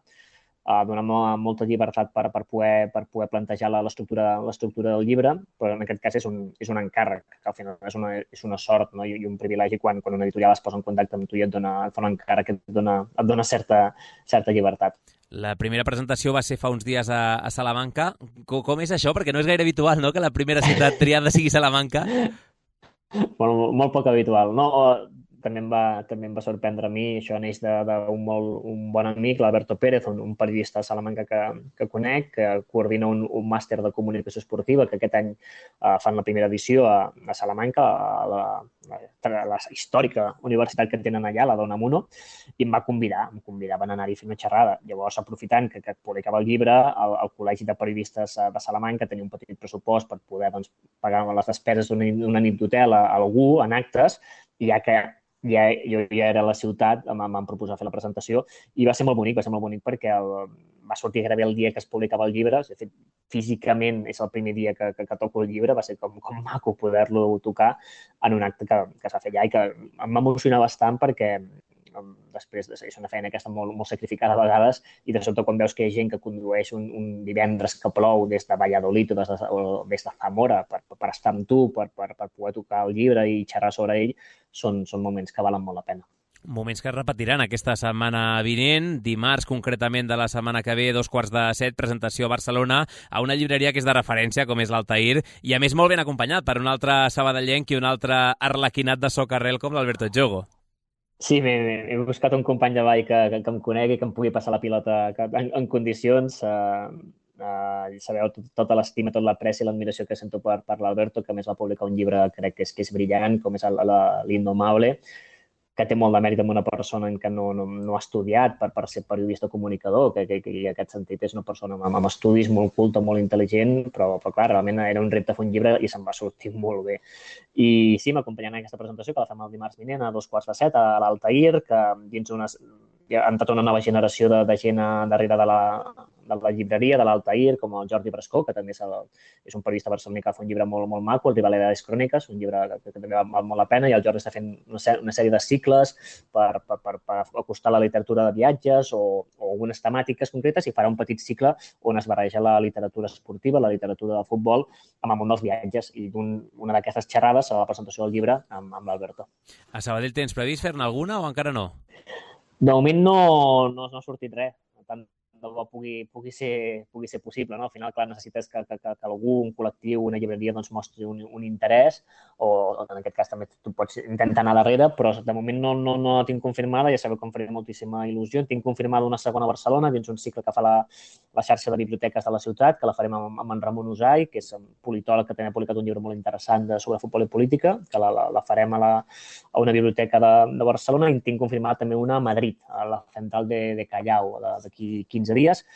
uh, donant-me molta llibertat per, per, poder, per poder plantejar l'estructura del llibre, però en aquest cas és un, és un encàrrec, que al final és una, és una sort, no? I, i un privilegi quan, quan una editorial es posa en contacte amb tu i et, dona, et fa un encàrrec que et dona, et dona certa, certa llibertat. La primera presentació va ser fa uns dies a, a Salamanca. Com, com és això? Perquè no és gaire habitual, no?, que la primera ciutat triada sigui Salamanca. Bueno, molt poc habitual. No, també em va, també em va sorprendre a mi. Això neix d'un molt un bon amic, l'Alberto Pérez, un, un periodista de Salamanca que, que conec, que coordina un, un màster de comunicació esportiva, que aquest any uh, fan la primera edició a, a Salamanca, a la, la, la històrica universitat que tenen allà, la Dona Muno, i em va convidar, em convidaven a anar-hi a fer una xerrada. Llavors, aprofitant que, que publicava el llibre, el, el Col·legi de Periodistes de Salamanca tenia un petit pressupost per poder doncs, pagar les despeses d'una nit d'hotel a, a algú en actes, i ja que ja, jo ja era a la ciutat, em van proposar fer la presentació i va ser molt bonic, va ser molt bonic perquè el, va sortir gairebé el dia que es publicava el llibre. De fet, físicament és el primer dia que, que, que toco el llibre, va ser com, com maco poder-lo tocar en un acte que, que es va fer allà i que em va emocionar bastant perquè després de ser una feina aquesta molt, molt sacrificada a vegades i de sobte quan veus que hi ha gent que condueix un, un divendres que plou des de Valladolid o des de, o des de Zamora per, per estar amb tu, per, per, per poder tocar el llibre i xerrar sobre ell, són, són moments que valen molt la pena. Moments que es repetiran aquesta setmana vinent, dimarts concretament de la setmana que ve, dos quarts de set, presentació a Barcelona, a una llibreria que és de referència, com és l'Altair, i a més molt ben acompanyat per un altre sabadellenc i un altre arlequinat de socarrel com l'Alberto Jogo. Sí, he buscat un company de ball que, que, que em conegui, que em pugui passar la pilota en, en condicions. Uh, uh, sabeu tot, tota l'estima, tot l'apreci i l'admiració que sento per, per l'Alberto, que a més va publicar un llibre crec que és, que és brillant, com és l'Indomable, que té molt de mèrit amb una persona que no, no, no ha estudiat per, per ser periodista comunicador, que, que, que en aquest sentit és una persona amb, amb estudis molt culta, molt intel·ligent, però, però clar, realment era un repte fer un llibre i se'n va sortir molt bé. I sí, m'acompanyant en aquesta presentació, que la fem el dimarts vinent a dos quarts de set a l'Altair, que dins unes... ha entrat una nova generació de, de gent darrere de la, de la llibreria, de l'Altair, com el Jordi Brascó, que també és, el, és un periodista barceloní que fa un llibre molt, molt maco, el Rivalidades Cròniques, un llibre que, que també val molt la pena, i el Jordi està fent una, una sèrie de cicles per, per, per, per acostar la literatura de viatges o, o algunes temàtiques concretes, i farà un petit cicle on es barreja la literatura esportiva, la literatura del futbol, amb el món dels viatges, i un, una d'aquestes xerrades serà la presentació del llibre amb, amb l'Alberto. A Sabadell tens previst fer-ne alguna o encara no? De moment no, no, no ha sortit res, tant de bo pugui, pugui, ser, pugui ser possible. No? Al final, clar, necessites que, que, que algú, un col·lectiu, una llibreria, doncs, mostri un, un interès, o, o en aquest cas també tu pots intentar anar darrere, però de moment no, no, no la tinc confirmada, ja sabeu que em faria moltíssima il·lusió. Tinc confirmada una segona a Barcelona, dins un cicle que fa la, la xarxa de biblioteques de la ciutat, que la farem amb, amb en Ramon Usai, que és un politòleg que també ha publicat un llibre molt interessant de, sobre futbol i política, que la, la, la farem a, la, a una biblioteca de, de Barcelona, i tinc confirmada també una a Madrid, a la central de, de Callao, d'aquí quinze dies,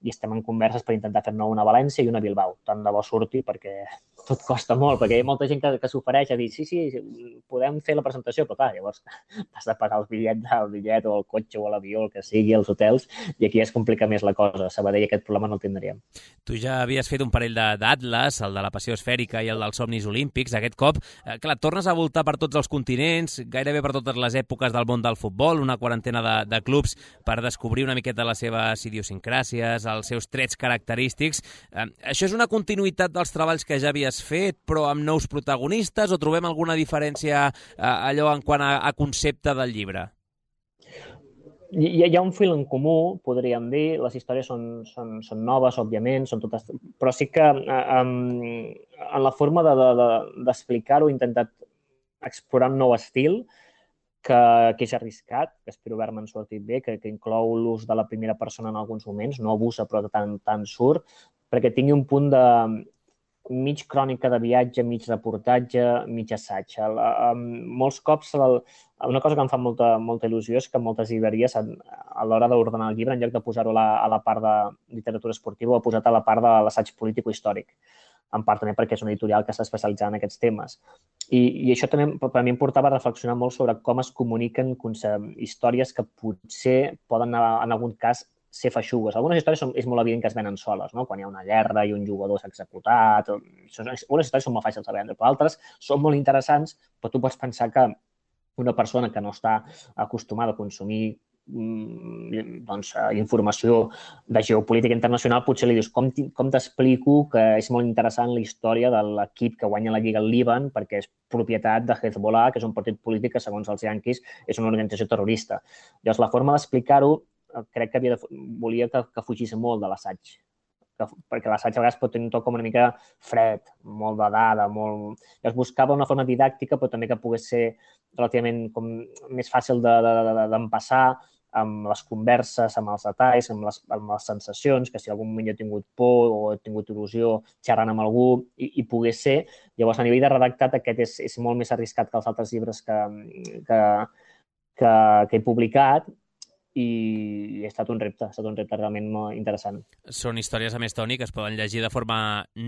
i estem en converses per intentar fer-ne una a València i una a Bilbao. Tant de bo surti, perquè tot costa molt, perquè hi ha molta gent que, que s'ofereix a dir sí, sí, podem fer la presentació, però clar, llavors has de pagar el bitllet, el bitllet o el cotxe o l'avió, el que sigui, els hotels, i aquí es complica més la cosa. A Sabadell aquest problema no el tindríem. Tu ja havies fet un parell d'atles, el de la passió esfèrica i el dels somnis olímpics. Aquest cop, eh, clar, tornes a voltar per tots els continents, gairebé per totes les èpoques del món del futbol, una quarantena de, de clubs per descobrir una miqueta les seves idiosincràcies, els seus trets característics. Eh, això és una continuïtat dels treballs que ja havies fet, però amb nous protagonistes, o trobem alguna diferència eh, allò en quant a, a concepte del llibre? Hi, hi ha un fil en comú, podríem dir. Les històries són, són, són noves, òbviament, són totes... però sí que eh, en la forma d'explicar-ho de, de, he intentat explorar un nou estil que, que és arriscat, que espero haver-me sortit bé, que, que inclou l'ús de la primera persona en alguns moments, no abusa però tant, tant surt, perquè tingui un punt de mig crònica de viatge, mig reportatge, mig assaig. El, um, molts cops, el, una cosa que em fa molta, molta il·lusió és que moltes llibreries, a, a l'hora d'ordenar el llibre, en lloc de posar-ho a, a la part de literatura esportiva, ho ha posat a la part de l'assaig polític-històric, en part també perquè és una editorial que està especialitzada en aquests temes. I, i això també per mi em portava a reflexionar molt sobre com es comuniquen històries que potser poden, en algun cas, ser feixugues. Algunes històries són, és molt evident que es venen soles, no? Quan hi ha una guerra i un jugador s'ha executat. Unes històries són molt fàcils de vendre, però altres són molt interessants, però tu pots pensar que una persona que no està acostumada a consumir doncs, informació de geopolítica internacional, potser li dius com, com t'explico que és molt interessant la història de l'equip que guanya la Lliga al Líban perquè és propietat de Hezbollah, que és un partit polític que, segons els yanquis, és una organització terrorista. Llavors, la forma d'explicar-ho crec que havia de, volia que, que fugís molt de l'assaig. que, perquè l'assaig a vegades pot tenir un to com una mica fred, molt de dada, molt... I es buscava una forma didàctica, però també que pogués ser relativament com més fàcil d'empassar amb les converses, amb els detalls, amb les, amb les sensacions, que si algun moment jo he tingut por o he tingut il·lusió xerrant amb algú i, i pogués ser. Llavors, a nivell de redactat, aquest és, és molt més arriscat que els altres llibres que, que, que, que he publicat i ha estat un repte, ha estat un repte realment molt interessant. Són històries, a més, Toni, que es poden llegir de forma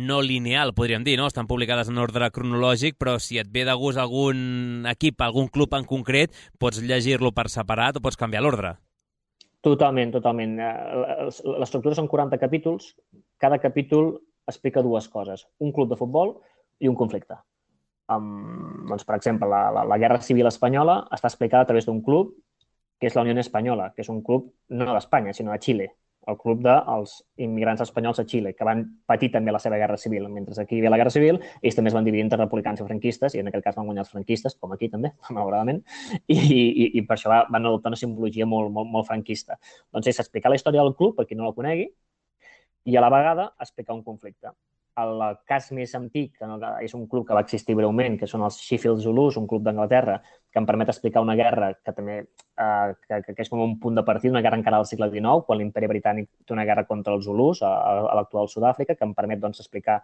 no lineal, podríem dir, no? Estan publicades en ordre cronològic, però si et ve de gust algun equip, algun club en concret, pots llegir-lo per separat o pots canviar l'ordre. Totalment, totalment. L'estructura són quaranta capítols. Cada capítol explica dues coses. Un club de futbol i un conflicte. Um, doncs, per exemple, la, la, la Guerra Civil Espanyola està explicada a través d'un club que és la Unió Espanyola, que és un club no d'Espanya, sinó de Xile, el club dels immigrants espanyols a Xile, que van patir també la seva guerra civil. Mentre aquí hi havia la guerra civil, ells també es van dividir entre republicans i franquistes, i en aquest cas van guanyar els franquistes, com aquí també, malauradament, i, i, i per això van adoptar una simbologia molt, molt, molt franquista. Doncs és explicar la història del club, per qui no la conegui, i a la vegada explicar un conflicte. El cas més antic, que és un club que va existir breument, que són els Sheffield Zulus, un club d'Anglaterra, que em permet explicar una guerra que també eh, que, que és com un punt de partida, una guerra encara del segle dinou, quan l'imperi britànic té una guerra contra els Zulus a, a l'actual Sud-àfrica, que em permet doncs, explicar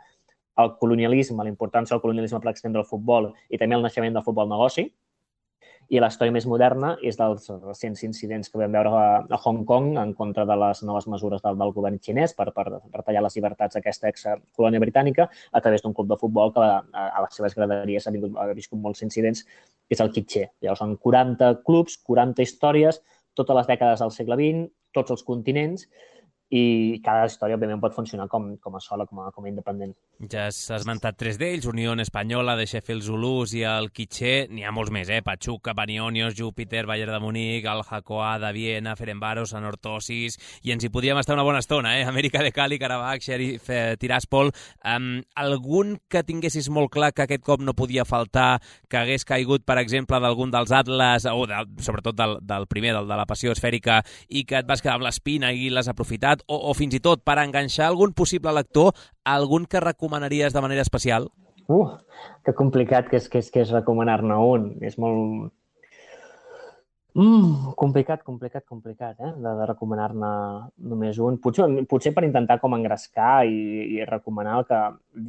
el colonialisme, la importància del colonialisme per extendre el futbol i també el naixement del futbol negoci. I la història més moderna és dels recents incidents que vam veure a, a Hong Kong en contra de les noves mesures del, del govern xinès per, per retallar les llibertats d'aquesta ex-colònia britànica a través d'un club de futbol que a, a les seves graderies ha, vingut, ha viscut molts incidents, que és el Kitché. Llavors, són quaranta clubs, quaranta històries, totes les dècades del segle vint, tots els continents, i cada història, òbviament, pot funcionar com, com a sola, com a, com a independent. Ja has esmentat tres d'ells, Unió Espanyola, de Sheffield Zulus i el Kitché. N'hi ha molts més, eh? Pachuca, Panionios, Júpiter, Bayern de Munic, el Hakoah de Viena, Ferencváros, Anorthosis, i ens hi podríem estar una bona estona, eh? Amèrica de Cali, Karabakh, Sheriff eh, Tiraspol. Um, algun que tinguessis molt clar que aquest cop no podia faltar, que hagués caigut, per exemple, d'algun dels Atlas, o de, sobretot del, del primer, del de la Passió Esfèrica, i que et vas quedar amb l'espina i l'has aprofitat, O, o fins i tot per enganxar algun possible lector, algun que recomanaries de manera especial? Uh, que complicat que és, que és, que és recomanar-ne un. És molt... Mm, complicat, complicat, complicat, eh? De, de recomanar-ne només un. Potser, potser per intentar com engrescar i, i recomanar el que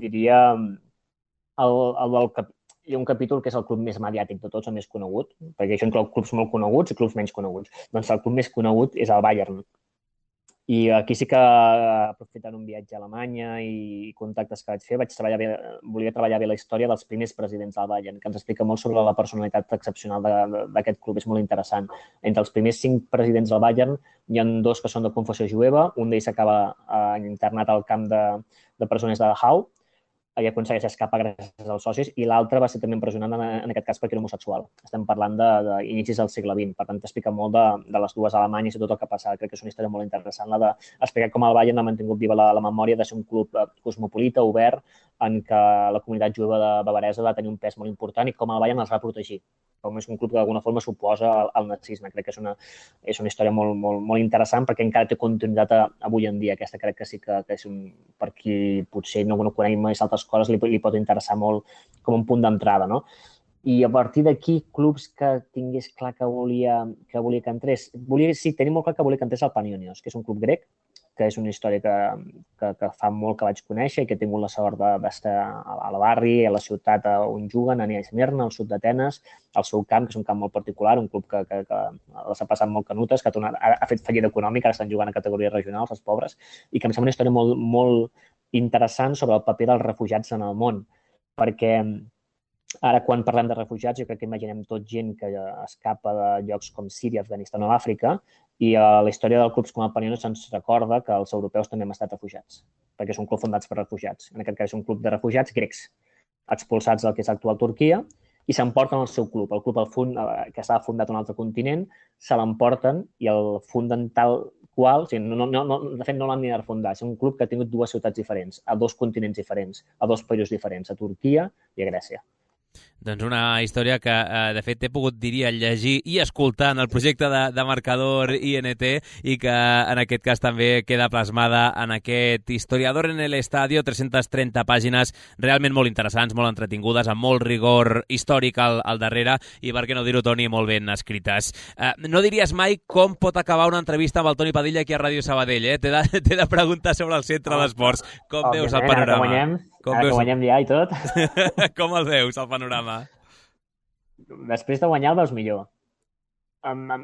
diria el, el del cap... Hi ha un capítol que és el club més mediàtic de tots, el més conegut, perquè això inclou clubs molt coneguts i clubs menys coneguts. Doncs el club més conegut és el Bayern. I aquí sí que, aprofitant un viatge a Alemanya i contactes que vaig fer, vaig treballar bé, volia treballar bé la història dels primers presidents del Bayern, que ens explica molt sobre la personalitat excepcional d'aquest club, és molt interessant. Entre els primers cinc presidents del Bayern hi ha dos que són de confessió jueva, un d'ells s'acaba eh, internat al camp de, de presoners de Dachau, i aconsegueix escapar gràcies als socis, i l'altre va ser també empresonat en, en aquest cas perquè era homosexual. Estem parlant d'inicis de, de del segle vint, per tant t'explica molt de, de les dues Alemanyes i tot el que ha passat. Crec que és una història molt interessant, la d'explicar com el Bayern ha mantingut viva la, la memòria de ser un club cosmopolita, obert, en què la comunitat jueva de Bavaresa va tenir un pes molt important i com el Bayern els va protegir. Com és un club que d'alguna forma s'oposa al, al nazisme. Crec que és una, és una història molt, molt, molt interessant perquè encara té continuïtat a, avui en dia. Aquesta crec que sí que, que és un, per qui potser no, no coneix més altres coses, li, li pot interessar molt com un punt d'entrada, no? I a partir d'aquí, clubs que tingués clar que volia que, volia que entrés... Volia, sí, tenia molt clar que volia que entrés al Panionios, que és un club grec, que és una història que, que, que fa molt que vaig conèixer i que he tingut la sort d'estar al barri, a la ciutat on juguen, a Esmirna, al sud d'Atenes, al seu camp, que és un camp molt particular, un club que, que, que les ha passat molt canutes, que ha, tornat, ha, ha fet fallida econòmica, ara estan jugant a categories regionals, els pobres, i que em sembla una història molt, molt interessant sobre el paper dels refugiats en el món, perquè ara, quan parlem de refugiats, jo crec que imaginem tot gent que escapa de llocs com Síria, Afganistan o Àfrica, i a la història dels clubs com el Panionios se'ns recorda que els europeus també hem estat refugiats, perquè són clubs fundats per refugiats. En aquest cas és un club de refugiats grecs, expulsats del que és l'actual Turquia, i s'emporten el seu club. El club el fund, que estava fundat a un altre continent, se l'emporten i el funden tal qual, o sigui, no, no, no, de fet no l'han ni de refundar, és un club que ha tingut dues ciutats diferents, a dos continents diferents, a dos països diferents, a Turquia i a Grècia. Doncs una història que, de fet, he pogut, diria, llegir i escoltar en el projecte de, de Marcador I N T i que, en aquest cas, també queda plasmada en aquest Historiador en el Estadio, tres-centes trenta pàgines realment molt interessants, molt entretingudes, amb molt rigor històric al, al darrere i, per què no dir-ho, Toni, molt ben escrites. Eh, no diries mai com pot acabar una entrevista amb el Toni Padilla aquí a Ràdio Sabadell, eh? T'he de, t'he de preguntar sobre el centre d'esports. Com veus el panorama? Ara que guanyem, Com ara veus... que guanyem ja i tot. Com el veus, el panorama? Després de guanyar el veus millor. Um, um,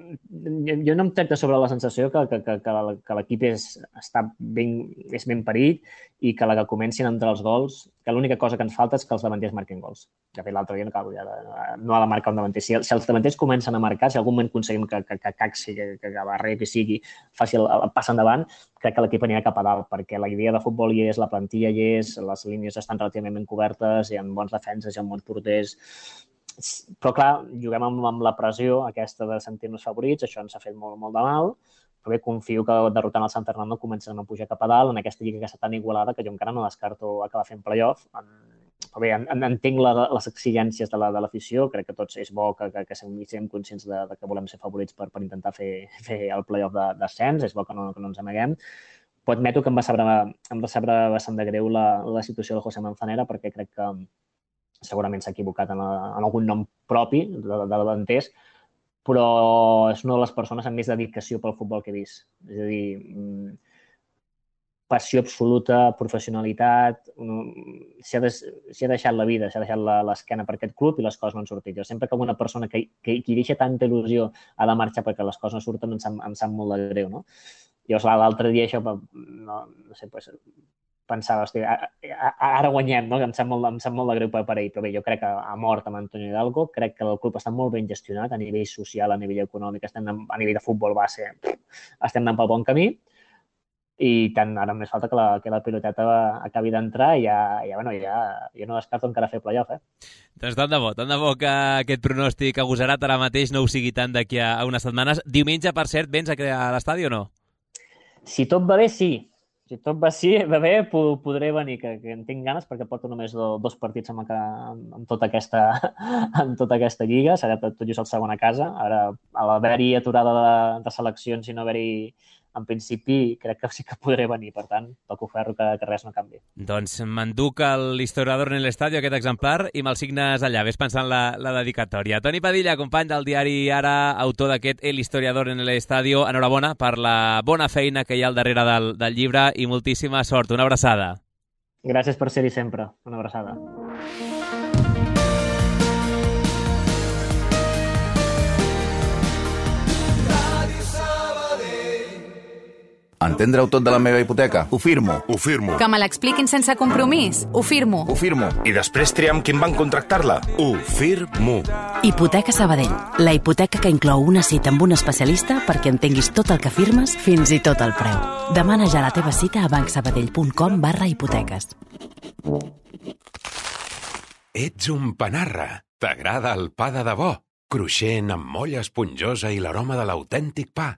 jo no em tracta sobre la sensació que, que, que, que l'equip és, està ben, és ben parit i que la que comencin a entrar els gols, que l'única cosa que ens falta és que els davanters marquin gols. De fet, l'altre dia no, cal, ja, no ha de marcar un davanter. Si, si els davanters comencen a marcar, si en algun moment aconseguim que, que, que Caxi, que, que, que Barrer, que sigui, faci el, el pas endavant, crec que l'equip anirà cap a dalt, perquè la idea de futbol hi és, la plantilla hi és, les línies estan relativament ben cobertes, hi ha bons defenses, hi ha bons porters. Però, clar, juguem amb, amb la pressió aquesta de sentir-nos favorits, això ens ha fet molt, molt de mal, però bé, confio que derrotant el San Fernando comencen a pujar cap a dalt en aquesta lliga que està tan igualada que jo encara no descarto acabar fent playoff. Però bé, entenc la, les exigències de l'afició, la, crec que tots és bo que, que, que siguem conscients de, de que volem ser favorits per, per intentar fer, fer el playoff d'ascens, és bo que no, que no ens amaguem. Però admeto que em va saber, em va saber bastant de greu la, la situació de José Manzanera, perquè crec que segurament s'ha equivocat en, la, en algun nom propi de, de davanters, però és una de les persones amb més dedicació pel futbol que he vist. És a dir, passió absoluta, professionalitat, s'ha de, ha deixat la vida, s'ha deixat l'esquena per aquest club i les coses no han sortit. Jo sempre que una persona que, que, que deixa tanta il·lusió ha de marxar perquè les coses no surten, em sap, em sap molt de greu, no? Llavors, l'altre dia això, no, no sé, pues, pensava, hosti, ara guanyem, no? Em sap molt, em sap molt de greu per, per ell, però bé, jo crec que ha mort amb Antonio Hidalgo, crec que el club està molt ben gestionat a nivell social, a nivell econòmic, estem a nivell de futbol base, estem anant pel bon camí i tant ara només falta que la, que la piloteta acabi d'entrar i ja, ja, bueno, ja, jo no descarto encara fer playoff, eh? Doncs tant de bo, tant de bo que aquest pronòstic agosarat ara mateix no ho sigui tant d'aquí a unes setmanes. Diumenge, per cert, vens a l'estadi o no? Si tot va bé, sí. Si tot va, sí, va bé, podré venir, que, que en tinc ganes, perquè porto només do, dos partits amb, amb, tota aquesta, amb tota aquesta lliga. Serà tot just el segon a casa. Ara, a l'haver-hi aturada de, de seleccions i no haver-hi, en principi, crec que sí que podré venir. Per tant, toco ferro que, que res no canvi. Doncs m'enduc l'Historiador en l'Estadio, aquest exemplar, i me'l signes allà. Ves pensant la, la dedicatòria. Toni Padilla, company del diari Ara, autor d'aquest El Historiador en l'Estadio. Enhorabona per la bona feina que hi ha al darrere del, del llibre i moltíssima sort. Una abraçada. Gràcies per ser-hi sempre. Una abraçada. Entendre-ho tot de la meva hipoteca? Ho firmo. Ho firmo. Que me l'expliquin sense compromís? Ho firmo. Ho firmo. I després triar amb quin banc contractar-la? Ho firmo. Hipoteca Sabadell. La hipoteca que inclou una cita amb un especialista perquè entenguis tot el que firmes, fins i tot el preu. Demana ja la teva cita a bancsabadell.com barra hipoteques. Ets un panarra. T'agrada el pa de debò? Cruixent, amb molla esponjosa i l'aroma de l'autèntic pa.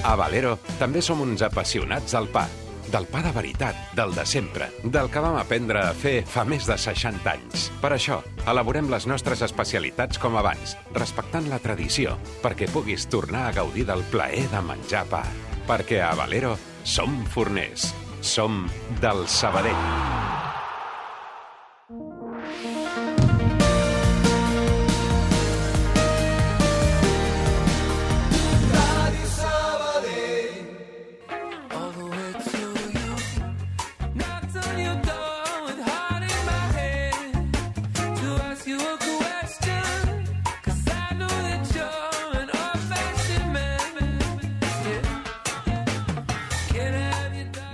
A Valero també som uns apassionats del pa. Del pa de veritat, del de sempre, del que vam aprendre a fer fa més de seixanta anys. Per això, elaborem les nostres especialitats com abans, respectant la tradició, perquè puguis tornar a gaudir del plaer de menjar pa. Perquè a Valero som forners. Som del Sabadell.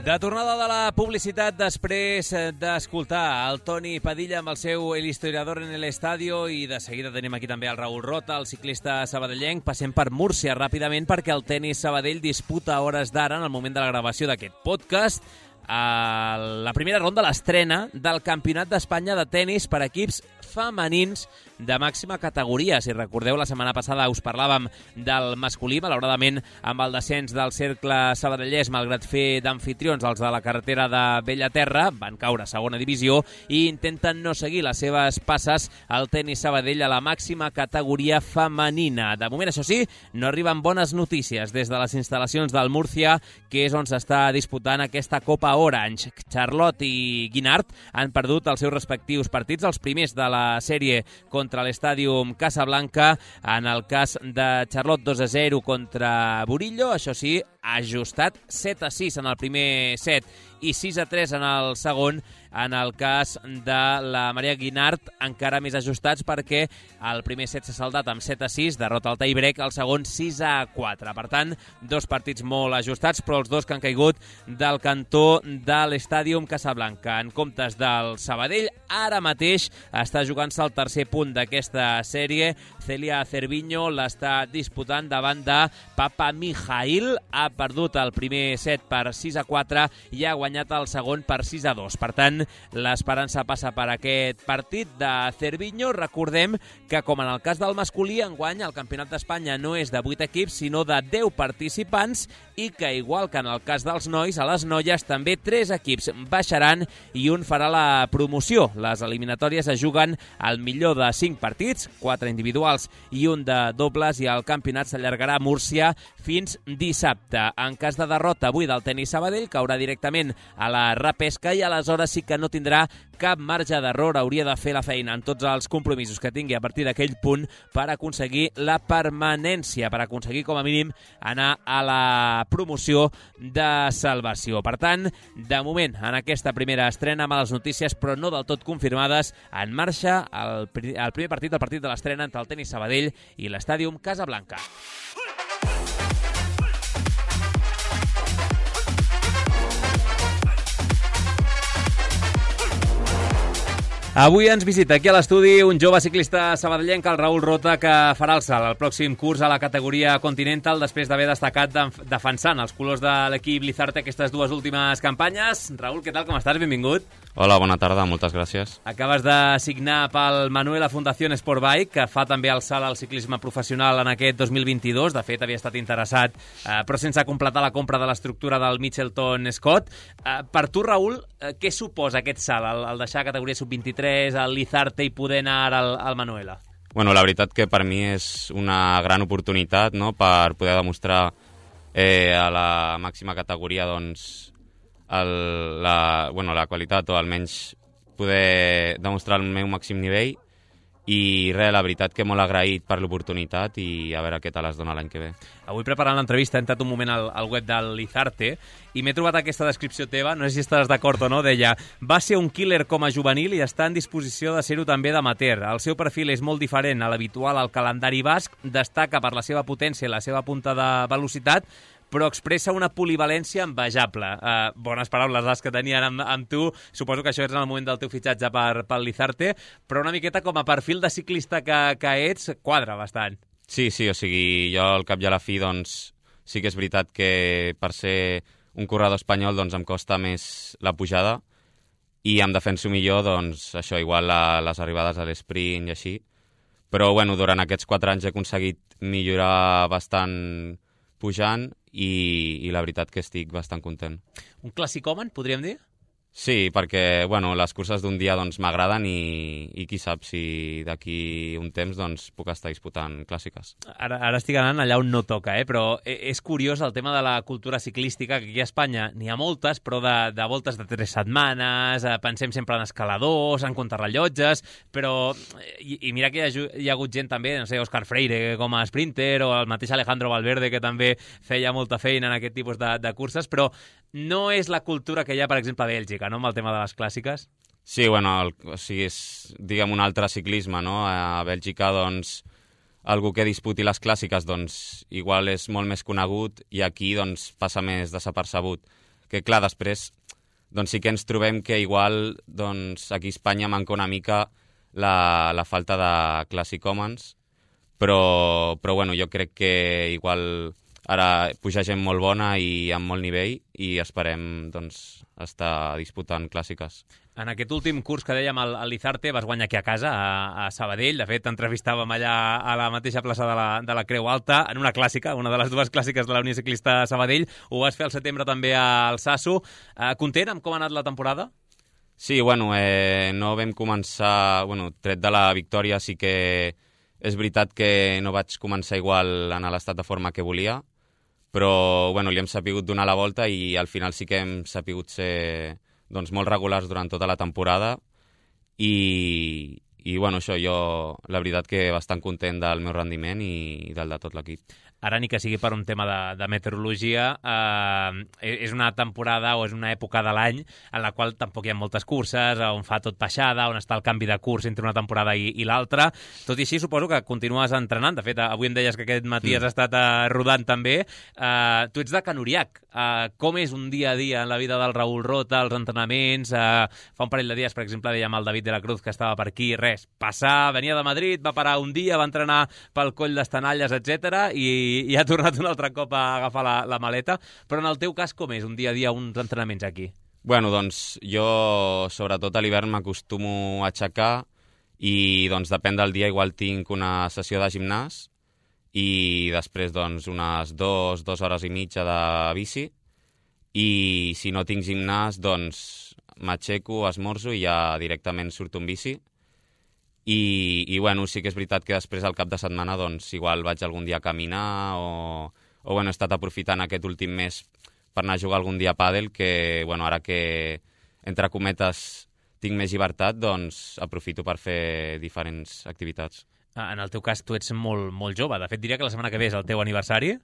De tornada de la publicitat després d'escoltar el Toni Padilla amb el seu El Historiador en l'Estadio i de seguida tenim aquí també el Raül Rota, el ciclista sabadellenc. Passem per Múrcia ràpidament perquè el tenis Sabadell disputa a hores d'ara, en el moment de la gravació d'aquest podcast, a la primera ronda, l'estrena del Campionat d'Espanya de tennis per equips femenins de màxima categoria. Si recordeu, la setmana passada us parlàvem del masculí, malauradament amb el descens del Cercle Sabadellès, malgrat fer d'amfitrions els de la carretera de Bellaterra, van caure a segona divisió i intenten no seguir les seves passes al tenis Sabadell a la màxima categoria femenina. De moment, això sí, no arriben bones notícies des de les instal·lacions del Múrcia, que és on s'està disputant aquesta Copa Orange. Charlotte i Guinart han perdut els seus respectius partits, els primers de la sèrie contra l'Estàdium Casablanca. En el cas de Charlotte, dos a zero contra Burillo, això sí, ajustat set a sis en el primer set i sis a tres en el segon. En el cas de la Maria Guinart, encara més ajustats, perquè el primer set s'ha saldat amb set a sis, derrota al tie-break, el segon sis a quatre. Per tant, dos partits molt ajustats, però els dos que han caigut del cantó de l'Estàdium Casablanca. En comptes del Sabadell, ara mateix està jugant-se el tercer punt d'aquesta sèrie. Celia Cerviño l'està disputant davant de Papa Mijail. Ha perdut el primer set per sis a quatre i ha guanyat el segon per sis a dos. Per tant, l'esperança passa per aquest partit de Cerviño. Recordem que, com en el cas del masculí, enguany el Campionat d'Espanya no és de vuit equips, sinó de deu participants, i que, igual que en el cas dels nois, a les noies també tres equips baixaran i un farà la promoció. Les eliminatòries es juguen al millor de cinc partits, quatre individuals i un de dobles, i el campionat s'allargarà a Múrcia fins dissabte. En cas de derrota avui del tenis Sabadell, caurà directament a la repesca i aleshores sí que no tindrà cap marge d'error. Hauria de fer la feina en tots els compromisos que tingui a partir d'aquell punt per aconseguir la permanència, per aconseguir com a mínim anar a la promoció de salvació. Per tant, de moment, en aquesta primera estrena, males notícies, però no del tot confirmades. En marxa el, el primer partit, el partit de l'estrena entre el tenis Sabadell i l'Estàdium Casablanca. Avui ens visita aquí a l'estudi un jove ciclista sabadellenc, el Raül Rota, que farà el salt al pròxim curs a la categoria Continental després d'haver destacat defensant els colors de l'equip Lizarte aquestes dues últimes campanyes. Raül, què tal, com estàs? Benvingut. Hola, bona tarda, moltes gràcies. Acabes de signar pel Manuela Fundación Sportbike, que fa també el salt al ciclisme professional en aquest dos mil vint-i-dos. De fet, havia estat interessat, eh, però sense completar la compra de l'estructura del Mitchelton Scott. Eh, per tu, Raül, eh, què suposa aquest salt, el, el deixar categoria sub vint-i-tres, el Lizarte i poder anar ara al, al Manuela? Bueno, la veritat que per mi és una gran oportunitat, no?, per poder demostrar eh, a la màxima categoria, doncs, el, la, bueno, la qualitat, o almenys poder demostrar el meu màxim nivell. I res, la veritat que molt agraït per l'oportunitat i a veure què tal es dona l'any que ve. Avui, preparant l'entrevista, he entrat un moment al, al web del Lizarte i m'he trobat aquesta descripció teva, no sé si estàs d'acord o no, deia: va ser un killer com a juvenil i està en disposició de ser-ho també d'amateur. El seu perfil és molt diferent a l'habitual al calendari basc, destaca per la seva potència i la seva punta de velocitat, però expressa una polivalència envejable. Uh, bones paraules les que tenien amb, amb tu. Suposo que això és en el moment del teu fitxatge per, per Lizarte, però una miqueta com a perfil de ciclista que, que ets, quadra bastant. Sí, sí, o sigui, jo al cap i a la fi, doncs, sí que és veritat que per ser un corredor espanyol, doncs, em costa més la pujada i em defenso millor, doncs, això, igual la, les arribades a l'esprint i així. Però, bueno, durant aquests quatre anys he aconseguit millorar bastant pujant i, i la veritat que estic bastant content. Un clàssicòman, podríem dir? Sí, perquè bueno, les curses d'un dia doncs, m'agraden i, i qui sap si d'aquí un temps doncs, puc estar disputant clàssiques. Ara, ara estic anant allà on no toca, eh? Però és curiós el tema de la cultura ciclística, que aquí a Espanya n'hi ha moltes, però de, de voltes de tres setmanes, eh, pensem sempre en escaladors, en contrarrellotges, però... I, i mira que hi ha, hi ha hagut gent també, no sé, Òscar Freire com a sprinter, o el mateix Alejandro Valverde, que també feia molta feina en aquest tipus de, de curses, però no és la cultura que hi ha, per exemple, a Bèlgica, no?, amb el tema de les clàssiques. Sí, bueno, el, o sigui, és, diguem, un altre ciclisme, no? A Bèlgica, doncs, algú que disputi les clàssiques, doncs, igual és molt més conegut i aquí, doncs, passa més desapercebut. Que, clar, després, doncs sí que ens trobem que igual, doncs, aquí a Espanya manca una mica la, la falta de classicòmens, però, però, bueno, jo crec que igual ara puja gent molt bona i amb molt nivell i esperem doncs, estar disputant clàssiques. En aquest últim curs que dèiem al Lizarte vas guanyar aquí a casa, a, a Sabadell. De fet, entrevistàvem allà a la mateixa plaça de la, de la Creu Alta, en una clàssica, una de les dues clàssiques de la Unió Ciclista Sabadell. Ho vas fer al setembre també al Sasso. Eh, content amb com ha anat la temporada? Sí, bueno, eh, no vam començar... Bueno, tret de la victòria sí que és veritat que no vaig començar igual en l'estat de forma que volia, però bueno, li hem sapigut donar la volta i al final sí que hem sapigut ser doncs, molt regulars durant tota la temporada i, i bueno, això, jo la veritat que bastant content del meu rendiment i del de tot l'equip. Ara, ni que sigui per un tema de, de meteorologia, eh, és una temporada o és una època de l'any en la qual tampoc hi ha moltes curses, on fa tot baixada, on està el canvi de curs entre una temporada i, i l'altra. Tot i així, suposo que continues entrenant. De fet, avui em deies que aquest matí mm. has estat eh, rodant també. Eh, tu ets de Can Uriac. Eh, com és un dia a dia en la vida del Raül Rota, els entrenaments? Eh, fa un parell de dies, per exemple, dèiem al David de la Cruz que estava per aquí, res, passar, venia de Madrid, va parar un dia, va entrenar pel Coll d'Estanalles, etcètera, i i ha tornat un altre cop a agafar la, la maleta. Però en el teu cas, com és un dia a dia, uns entrenaments aquí? Bueno, doncs jo, sobretot a l'hivern, m'acostumo a aixecar i doncs depèn del dia, igual tinc una sessió de gimnàs i després doncs unes dues, dues hores i mitja de bici i si no tinc gimnàs, doncs m'aixeco, esmorzo i ja directament surto en bici. I, i bueno, sí que és veritat que després al cap de setmana doncs igual vaig algun dia a caminar o, o bueno, he estat aprofitant aquest últim mes per anar a jugar algun dia a pàdel que bueno, ara que entre cometes tinc més llibertat, doncs aprofito per fer diferents activitats. En el teu cas tu ets molt, molt jove, de fet diria que la setmana que ve és el teu aniversari.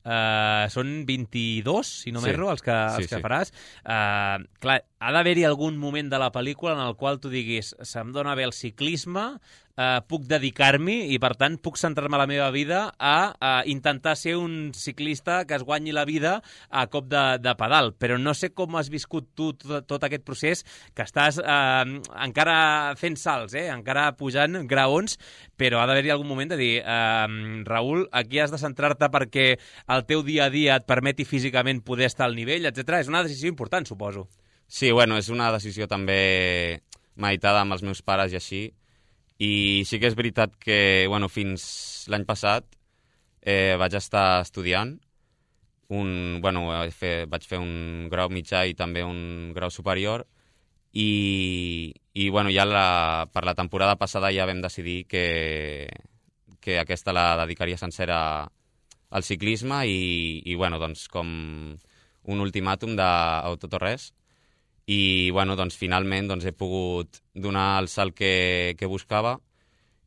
Uh, són vint-i-dos, si no m'erro, sí. els que, els sí, que sí. faràs. Uh, clar, ha d'haver-hi algun moment de la pel·lícula en el qual tu diguis se'm dona bé el ciclisme, uh, puc dedicar-m'hi i, per tant, puc centrar-me la meva vida a, a intentar ser un ciclista que es guanyi la vida a cop de, de pedal. Però no sé com has viscut tu tot, tot aquest procés, que estàs uh, encara fent salts, eh? encara pujant graons, però ha d'haver-hi algun moment de dir uh, Raül, aquí has de centrar-te perquè el teu dia a dia et permeti físicament poder estar al nivell, etcètera. És una decisió important, suposo. Sí, bueno, és una decisió també meditada amb els meus pares i així. I sí que és veritat que, bueno, fins l'any passat eh, vaig estar estudiant. Un, bueno, fer, vaig fer un grau mitjà i també un grau superior. I, i bueno, ja la, per la temporada passada ja vam decidir que, que aquesta la dedicaria sencera al ciclisme i, i bueno, doncs, com un ultimàtum de tot o res. I bueno, doncs, finalment doncs, he pogut donar el salt que, que buscava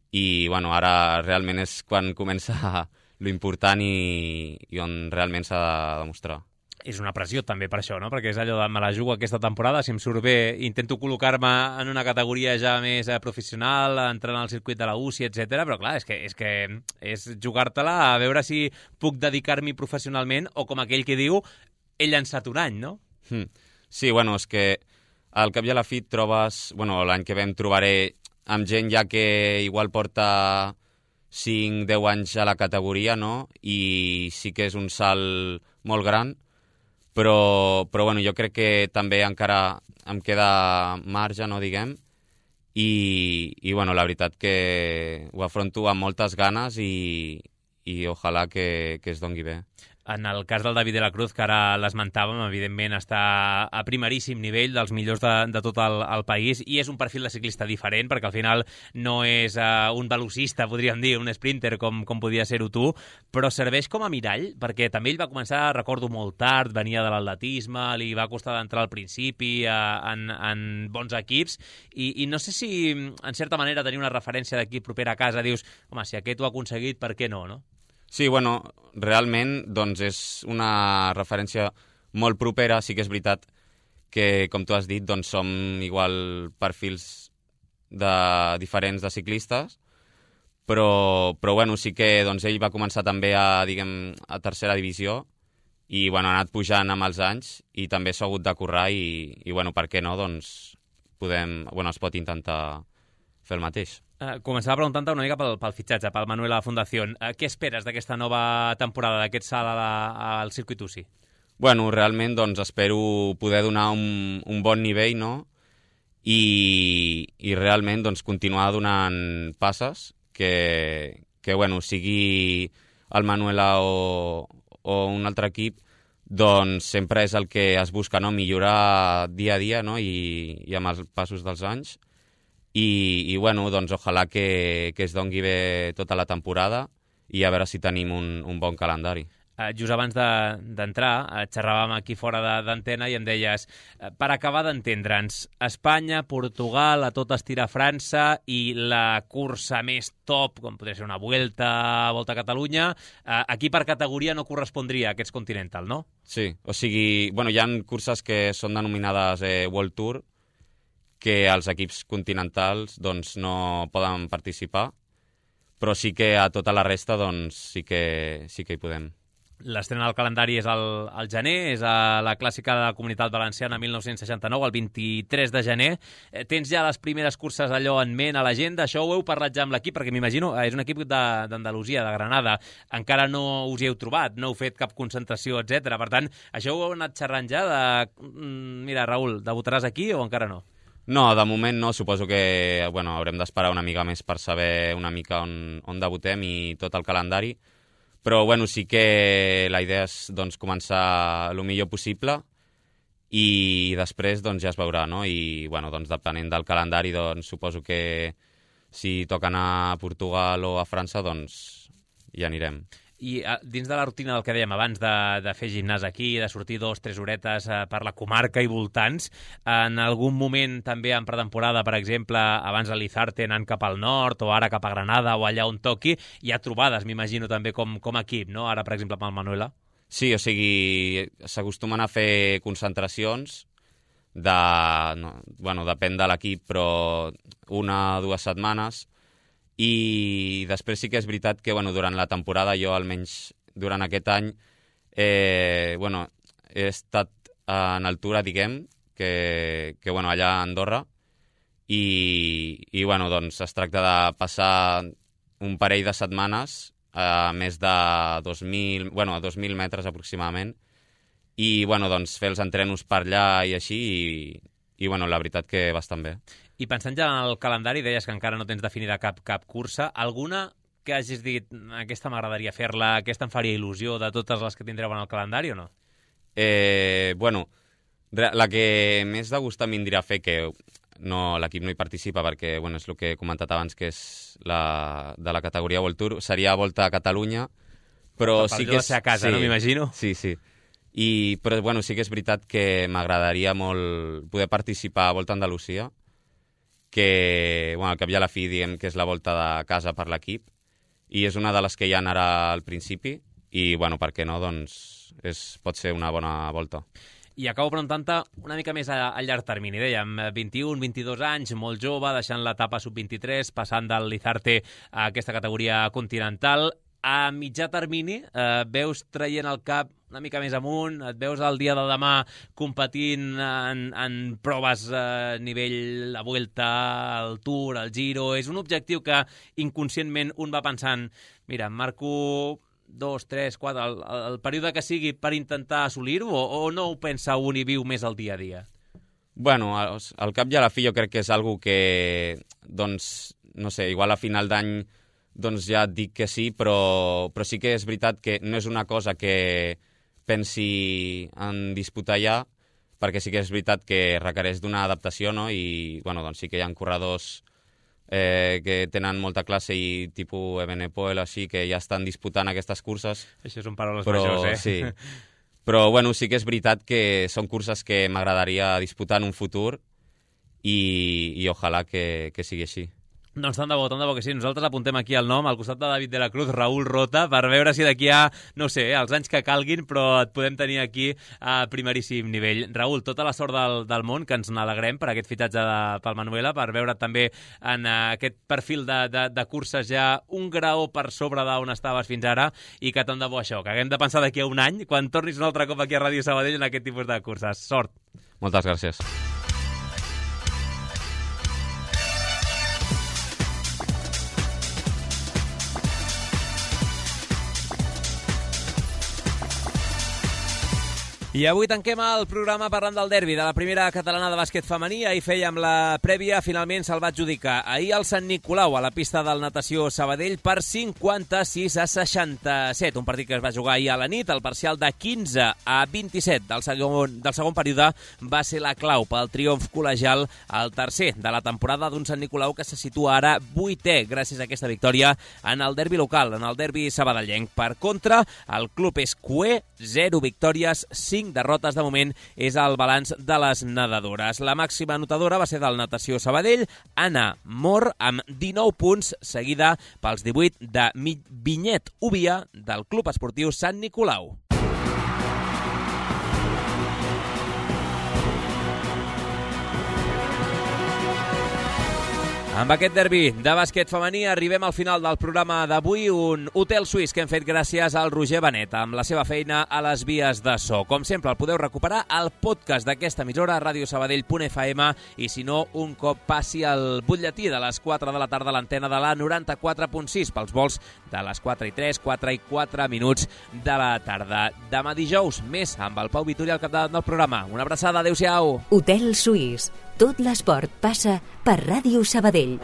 i bueno, ara realment és quan comença lo important i, i on realment s'ha de demostrar. És una pressió també per això, no? Perquè és allò de me la jugo aquesta temporada, si em surt bé intento col·locar-me en una categoria ja més eh, professional, entrar al circuit de la U C I, etcètera. Però clar, és que és, que és jugar-te-la a veure si puc dedicar-m'hi professionalment o com aquell que diu he llançat un any, no? Hmm. Sí, bueno, és que al cap i a la fi et trobes... Bueno, l'any que ve em trobaré amb gent ja que igual porta cinc deu anys a la categoria, no? I sí que és un salt molt gran, però, però bueno, jo crec que també encara em queda marge, no diguem, i, i bueno, la veritat que ho afronto amb moltes ganes i, i ojalà que, que es dongui bé. En el cas del David de la Cruz, que ara l'esmentàvem, evidentment està a primeríssim nivell dels millors de, de tot el, el país i és un perfil de ciclista diferent perquè al final no és uh, un velocista, podríem dir, un sprinter com, com podia ser-ho tu, però serveix com a mirall perquè també ell va començar, recordo molt tard, venia de l'atletisme, li va costar d'entrar al principi uh, en, en bons equips i, i no sé si en certa manera tenir una referència d'aquí propera a casa dius, home, si aquest ho ha aconseguit, per què no, no? Sí, bueno, realment doncs és una referència molt propera. Sí que és veritat que, com tu has dit, doncs som igual perfils de, diferents de ciclistes, però, però bueno, sí que doncs, ell va començar també a, diguem, a tercera divisió i bueno, ha anat pujant amb els anys i també s'ha hagut de currar i, i bueno, per què no, doncs podem, bueno, es pot intentar fer el mateix. Uh, començava preguntant-te una mica pel, pel fitxatge, pel Manuela Fundación. Uh, què esperes d'aquesta nova temporada, d'aquest salt a la, al circuit U C I? Bueno, realment doncs, espero poder donar un, un bon nivell, no? I, i realment doncs, continuar donant passes que, que bueno, sigui el Manuela o, o un altre equip, doncs sempre és el que es busca, no? Millorar dia a dia, no? I, i amb els passos dels anys. I, i bueno, doncs ojalà que, que es dongui bé tota la temporada i a veure si tenim un, un bon calendari. Uh, just abans d'entrar, de, uh, xerràvem aquí fora d'antena i em deies, uh, per acabar d'entendre'ns, Espanya, Portugal, a tot estirar França i la cursa més top, com podria ser una Vuelta, Volta a Catalunya, uh, aquí per categoria no correspondria a aquests Continental, no? Sí, o sigui, bueno, hi ha curses que són denominades eh, World Tour, que els equips continentals doncs, no poden participar, però sí que a tota la resta doncs, sí, que, sí que hi podem. L'estrena del calendari és al, al gener, és a la clàssica de la Comunitat Valenciana mil nou-cents seixanta-nou, el vint-i-tres de gener. Eh, tens ja les primeres curses allò en ment a l'agenda? Això ho heu parlat ja amb l'equip, perquè m'imagino, eh, és un equip d'Andalusia, de, de Granada. Encara no us hi heu trobat, no heu fet cap concentració, etcètera. Per tant, això ho heu anat xerrant ja de... Mira, Raül, debutaràs aquí o encara no? No, de moment no. Suposo que bueno, haurem d'esperar una mica més per saber una mica on, on debutem i tot el calendari. Però bueno, sí que la idea és doncs, començar el millor possible i després doncs, ja es veurà, no? I bueno, doncs, depenent del calendari, doncs, suposo que si toca anar a Portugal o a França, doncs hi anirem. I dins de la rutina del que dèiem abans de, de fer gimnàs aquí, de sortir dos, tres horetes eh, per la comarca i voltants, en algun moment també en pretemporada, per exemple, abans a l'Izarte anant cap al nord o ara cap a Granada o allà on toqui, hi ha trobades, m'imagino, també com, com a equip, no? Ara, per exemple, amb el Manuela. Sí, o sigui, s'acostumen a fer concentracions de... No, bueno, depèn de l'equip, però una o dues setmanes. I després sí que és veritat que bueno, durant la temporada, jo almenys durant aquest any, eh, bueno, he estat en altura, diguem, que, que bueno, allà a Andorra, i, i bueno, doncs es tracta de passar un parell de setmanes a més de dos mil, bueno, a dos mil metres aproximadament, i bueno, doncs fer els entrenos per allà i així, i, i bueno, la veritat que bastant bé. I pensant ja en el calendari, deies que encara no tens definida cap, cap cursa. Alguna que hagis dit, aquesta m'agradaria fer-la, aquesta em faria il·lusió de totes les que tindreu en el calendari o no? Eh, bueno, la que més de gust em vindria a fer, que no, l'equip no hi participa perquè bueno, és el que he comentat abans, que és la, de la categoria World Tour, seria Volta a Catalunya, però per sí que és... a casa, sí, no m'imagino? Sí, sí. I, però bueno, sí que és veritat que m'agradaria molt poder participar a Volta a Andalusia, que bueno, al cap i a la fi diguem que és la volta de casa per l'equip, i és una de les que hi ha ara al principi, i bueno, per què no, doncs és, pot ser una bona volta. I acabo preguntant-te una mica més a, a llarg termini. Dèiem, vint-i-un, vint-i-dos anys, molt jove, deixant l'etapa sub vint-i-tres, passant del Lizarte a aquesta categoria continental. A mitjà termini, eh, veus traient el cap una mica més amunt, et veus el dia de demà competint en, en proves a nivell la Vuelta, el Tour, el Giro. És un objectiu que inconscientment un va pensant, mira, em marco dos, tres, quatre, el, el període que sigui per intentar assolir-ho, o, o no ho pensa un i viu més el dia a dia? Bueno, al, al cap i a la fi jo crec que és algo que, doncs, no sé, igual a final d'any doncs ja et dic que sí, però, però sí que és veritat que no és una cosa que pensi en disputar ja, perquè sí que és veritat que requereix d'una adaptació, no? I bueno, doncs sí que hi ha corredors eh, que tenen molta classe i tipus Evenepoel, així, que ja estan disputant aquestes curses. Això són paraules però, majors, eh? Sí. Però bueno, sí que és veritat que són curses que m'agradaria disputar en un futur i, i ojalà que, que sigui així. Doncs tant de bo, tant de bo que sí. Nosaltres apuntem aquí el nom, al costat de David de la Cruz, Raül Rota, per veure si d'aquí a, no sé, els anys que calguin, però et podem tenir aquí a primeríssim nivell. Raül, tota la sort del, del món, que ens n'alegrem per aquest fitatge de, pel Manuela, per veure també en uh, aquest perfil de, de, de curses ja un graó per sobre d'on estaves fins ara, i que tant de bo això, que haguem de pensar d'aquí a un any, quan tornis un altre cop aquí a Ràdio Sabadell en aquest tipus de curses. Sort! Moltes gràcies. I avui tanquem el programa parlant del derbi de la primera catalana de bàsquet femení. Ahir fèiem la prèvia, finalment se'l va adjudicar ahir al Sant Nicolau, a la pista del Natació Sabadell, per cinquanta-sis a seixanta-set. Un partit que es va jugar ahir a la nit. El parcial de quinze a vint-i-set del segon, del segon període va ser la clau pel triomf col·legial, el tercer de la temporada d'un Sant Nicolau que se situa ara vuitè gràcies a aquesta victòria en el derbi local, en el derbi sabadellenc. Per contra, el club és cuer, zero victòries, cinc derrotes de moment és el balanç de les nedadores. La màxima anotadora va ser del Natació Sabadell, Anna Mor, amb dinou punts, seguida pels divuit de Vinyet Ubia del Club Esportiu Sant Nicolau. Amb aquest derbi de bàsquet femení arribem al final del programa d'avui, un hotel suís que hem fet gràcies al Roger Benet, amb la seva feina a les vies de so. Com sempre, el podeu recuperar al podcast d'aquesta emissora, radiosabadell punt f m, i si no, un cop passi el butlletí de les quatre de la tarda a l'antena de la noranta-quatre punt sis, pels vols de les quatre i tres, quatre i quatre minuts de la tarda. Demà dijous, més amb el Pau Vitori al capdavant del programa. Una abraçada, adeu-siau. Hotel Suís. Tot l'esport passa per Ràdio Sabadell.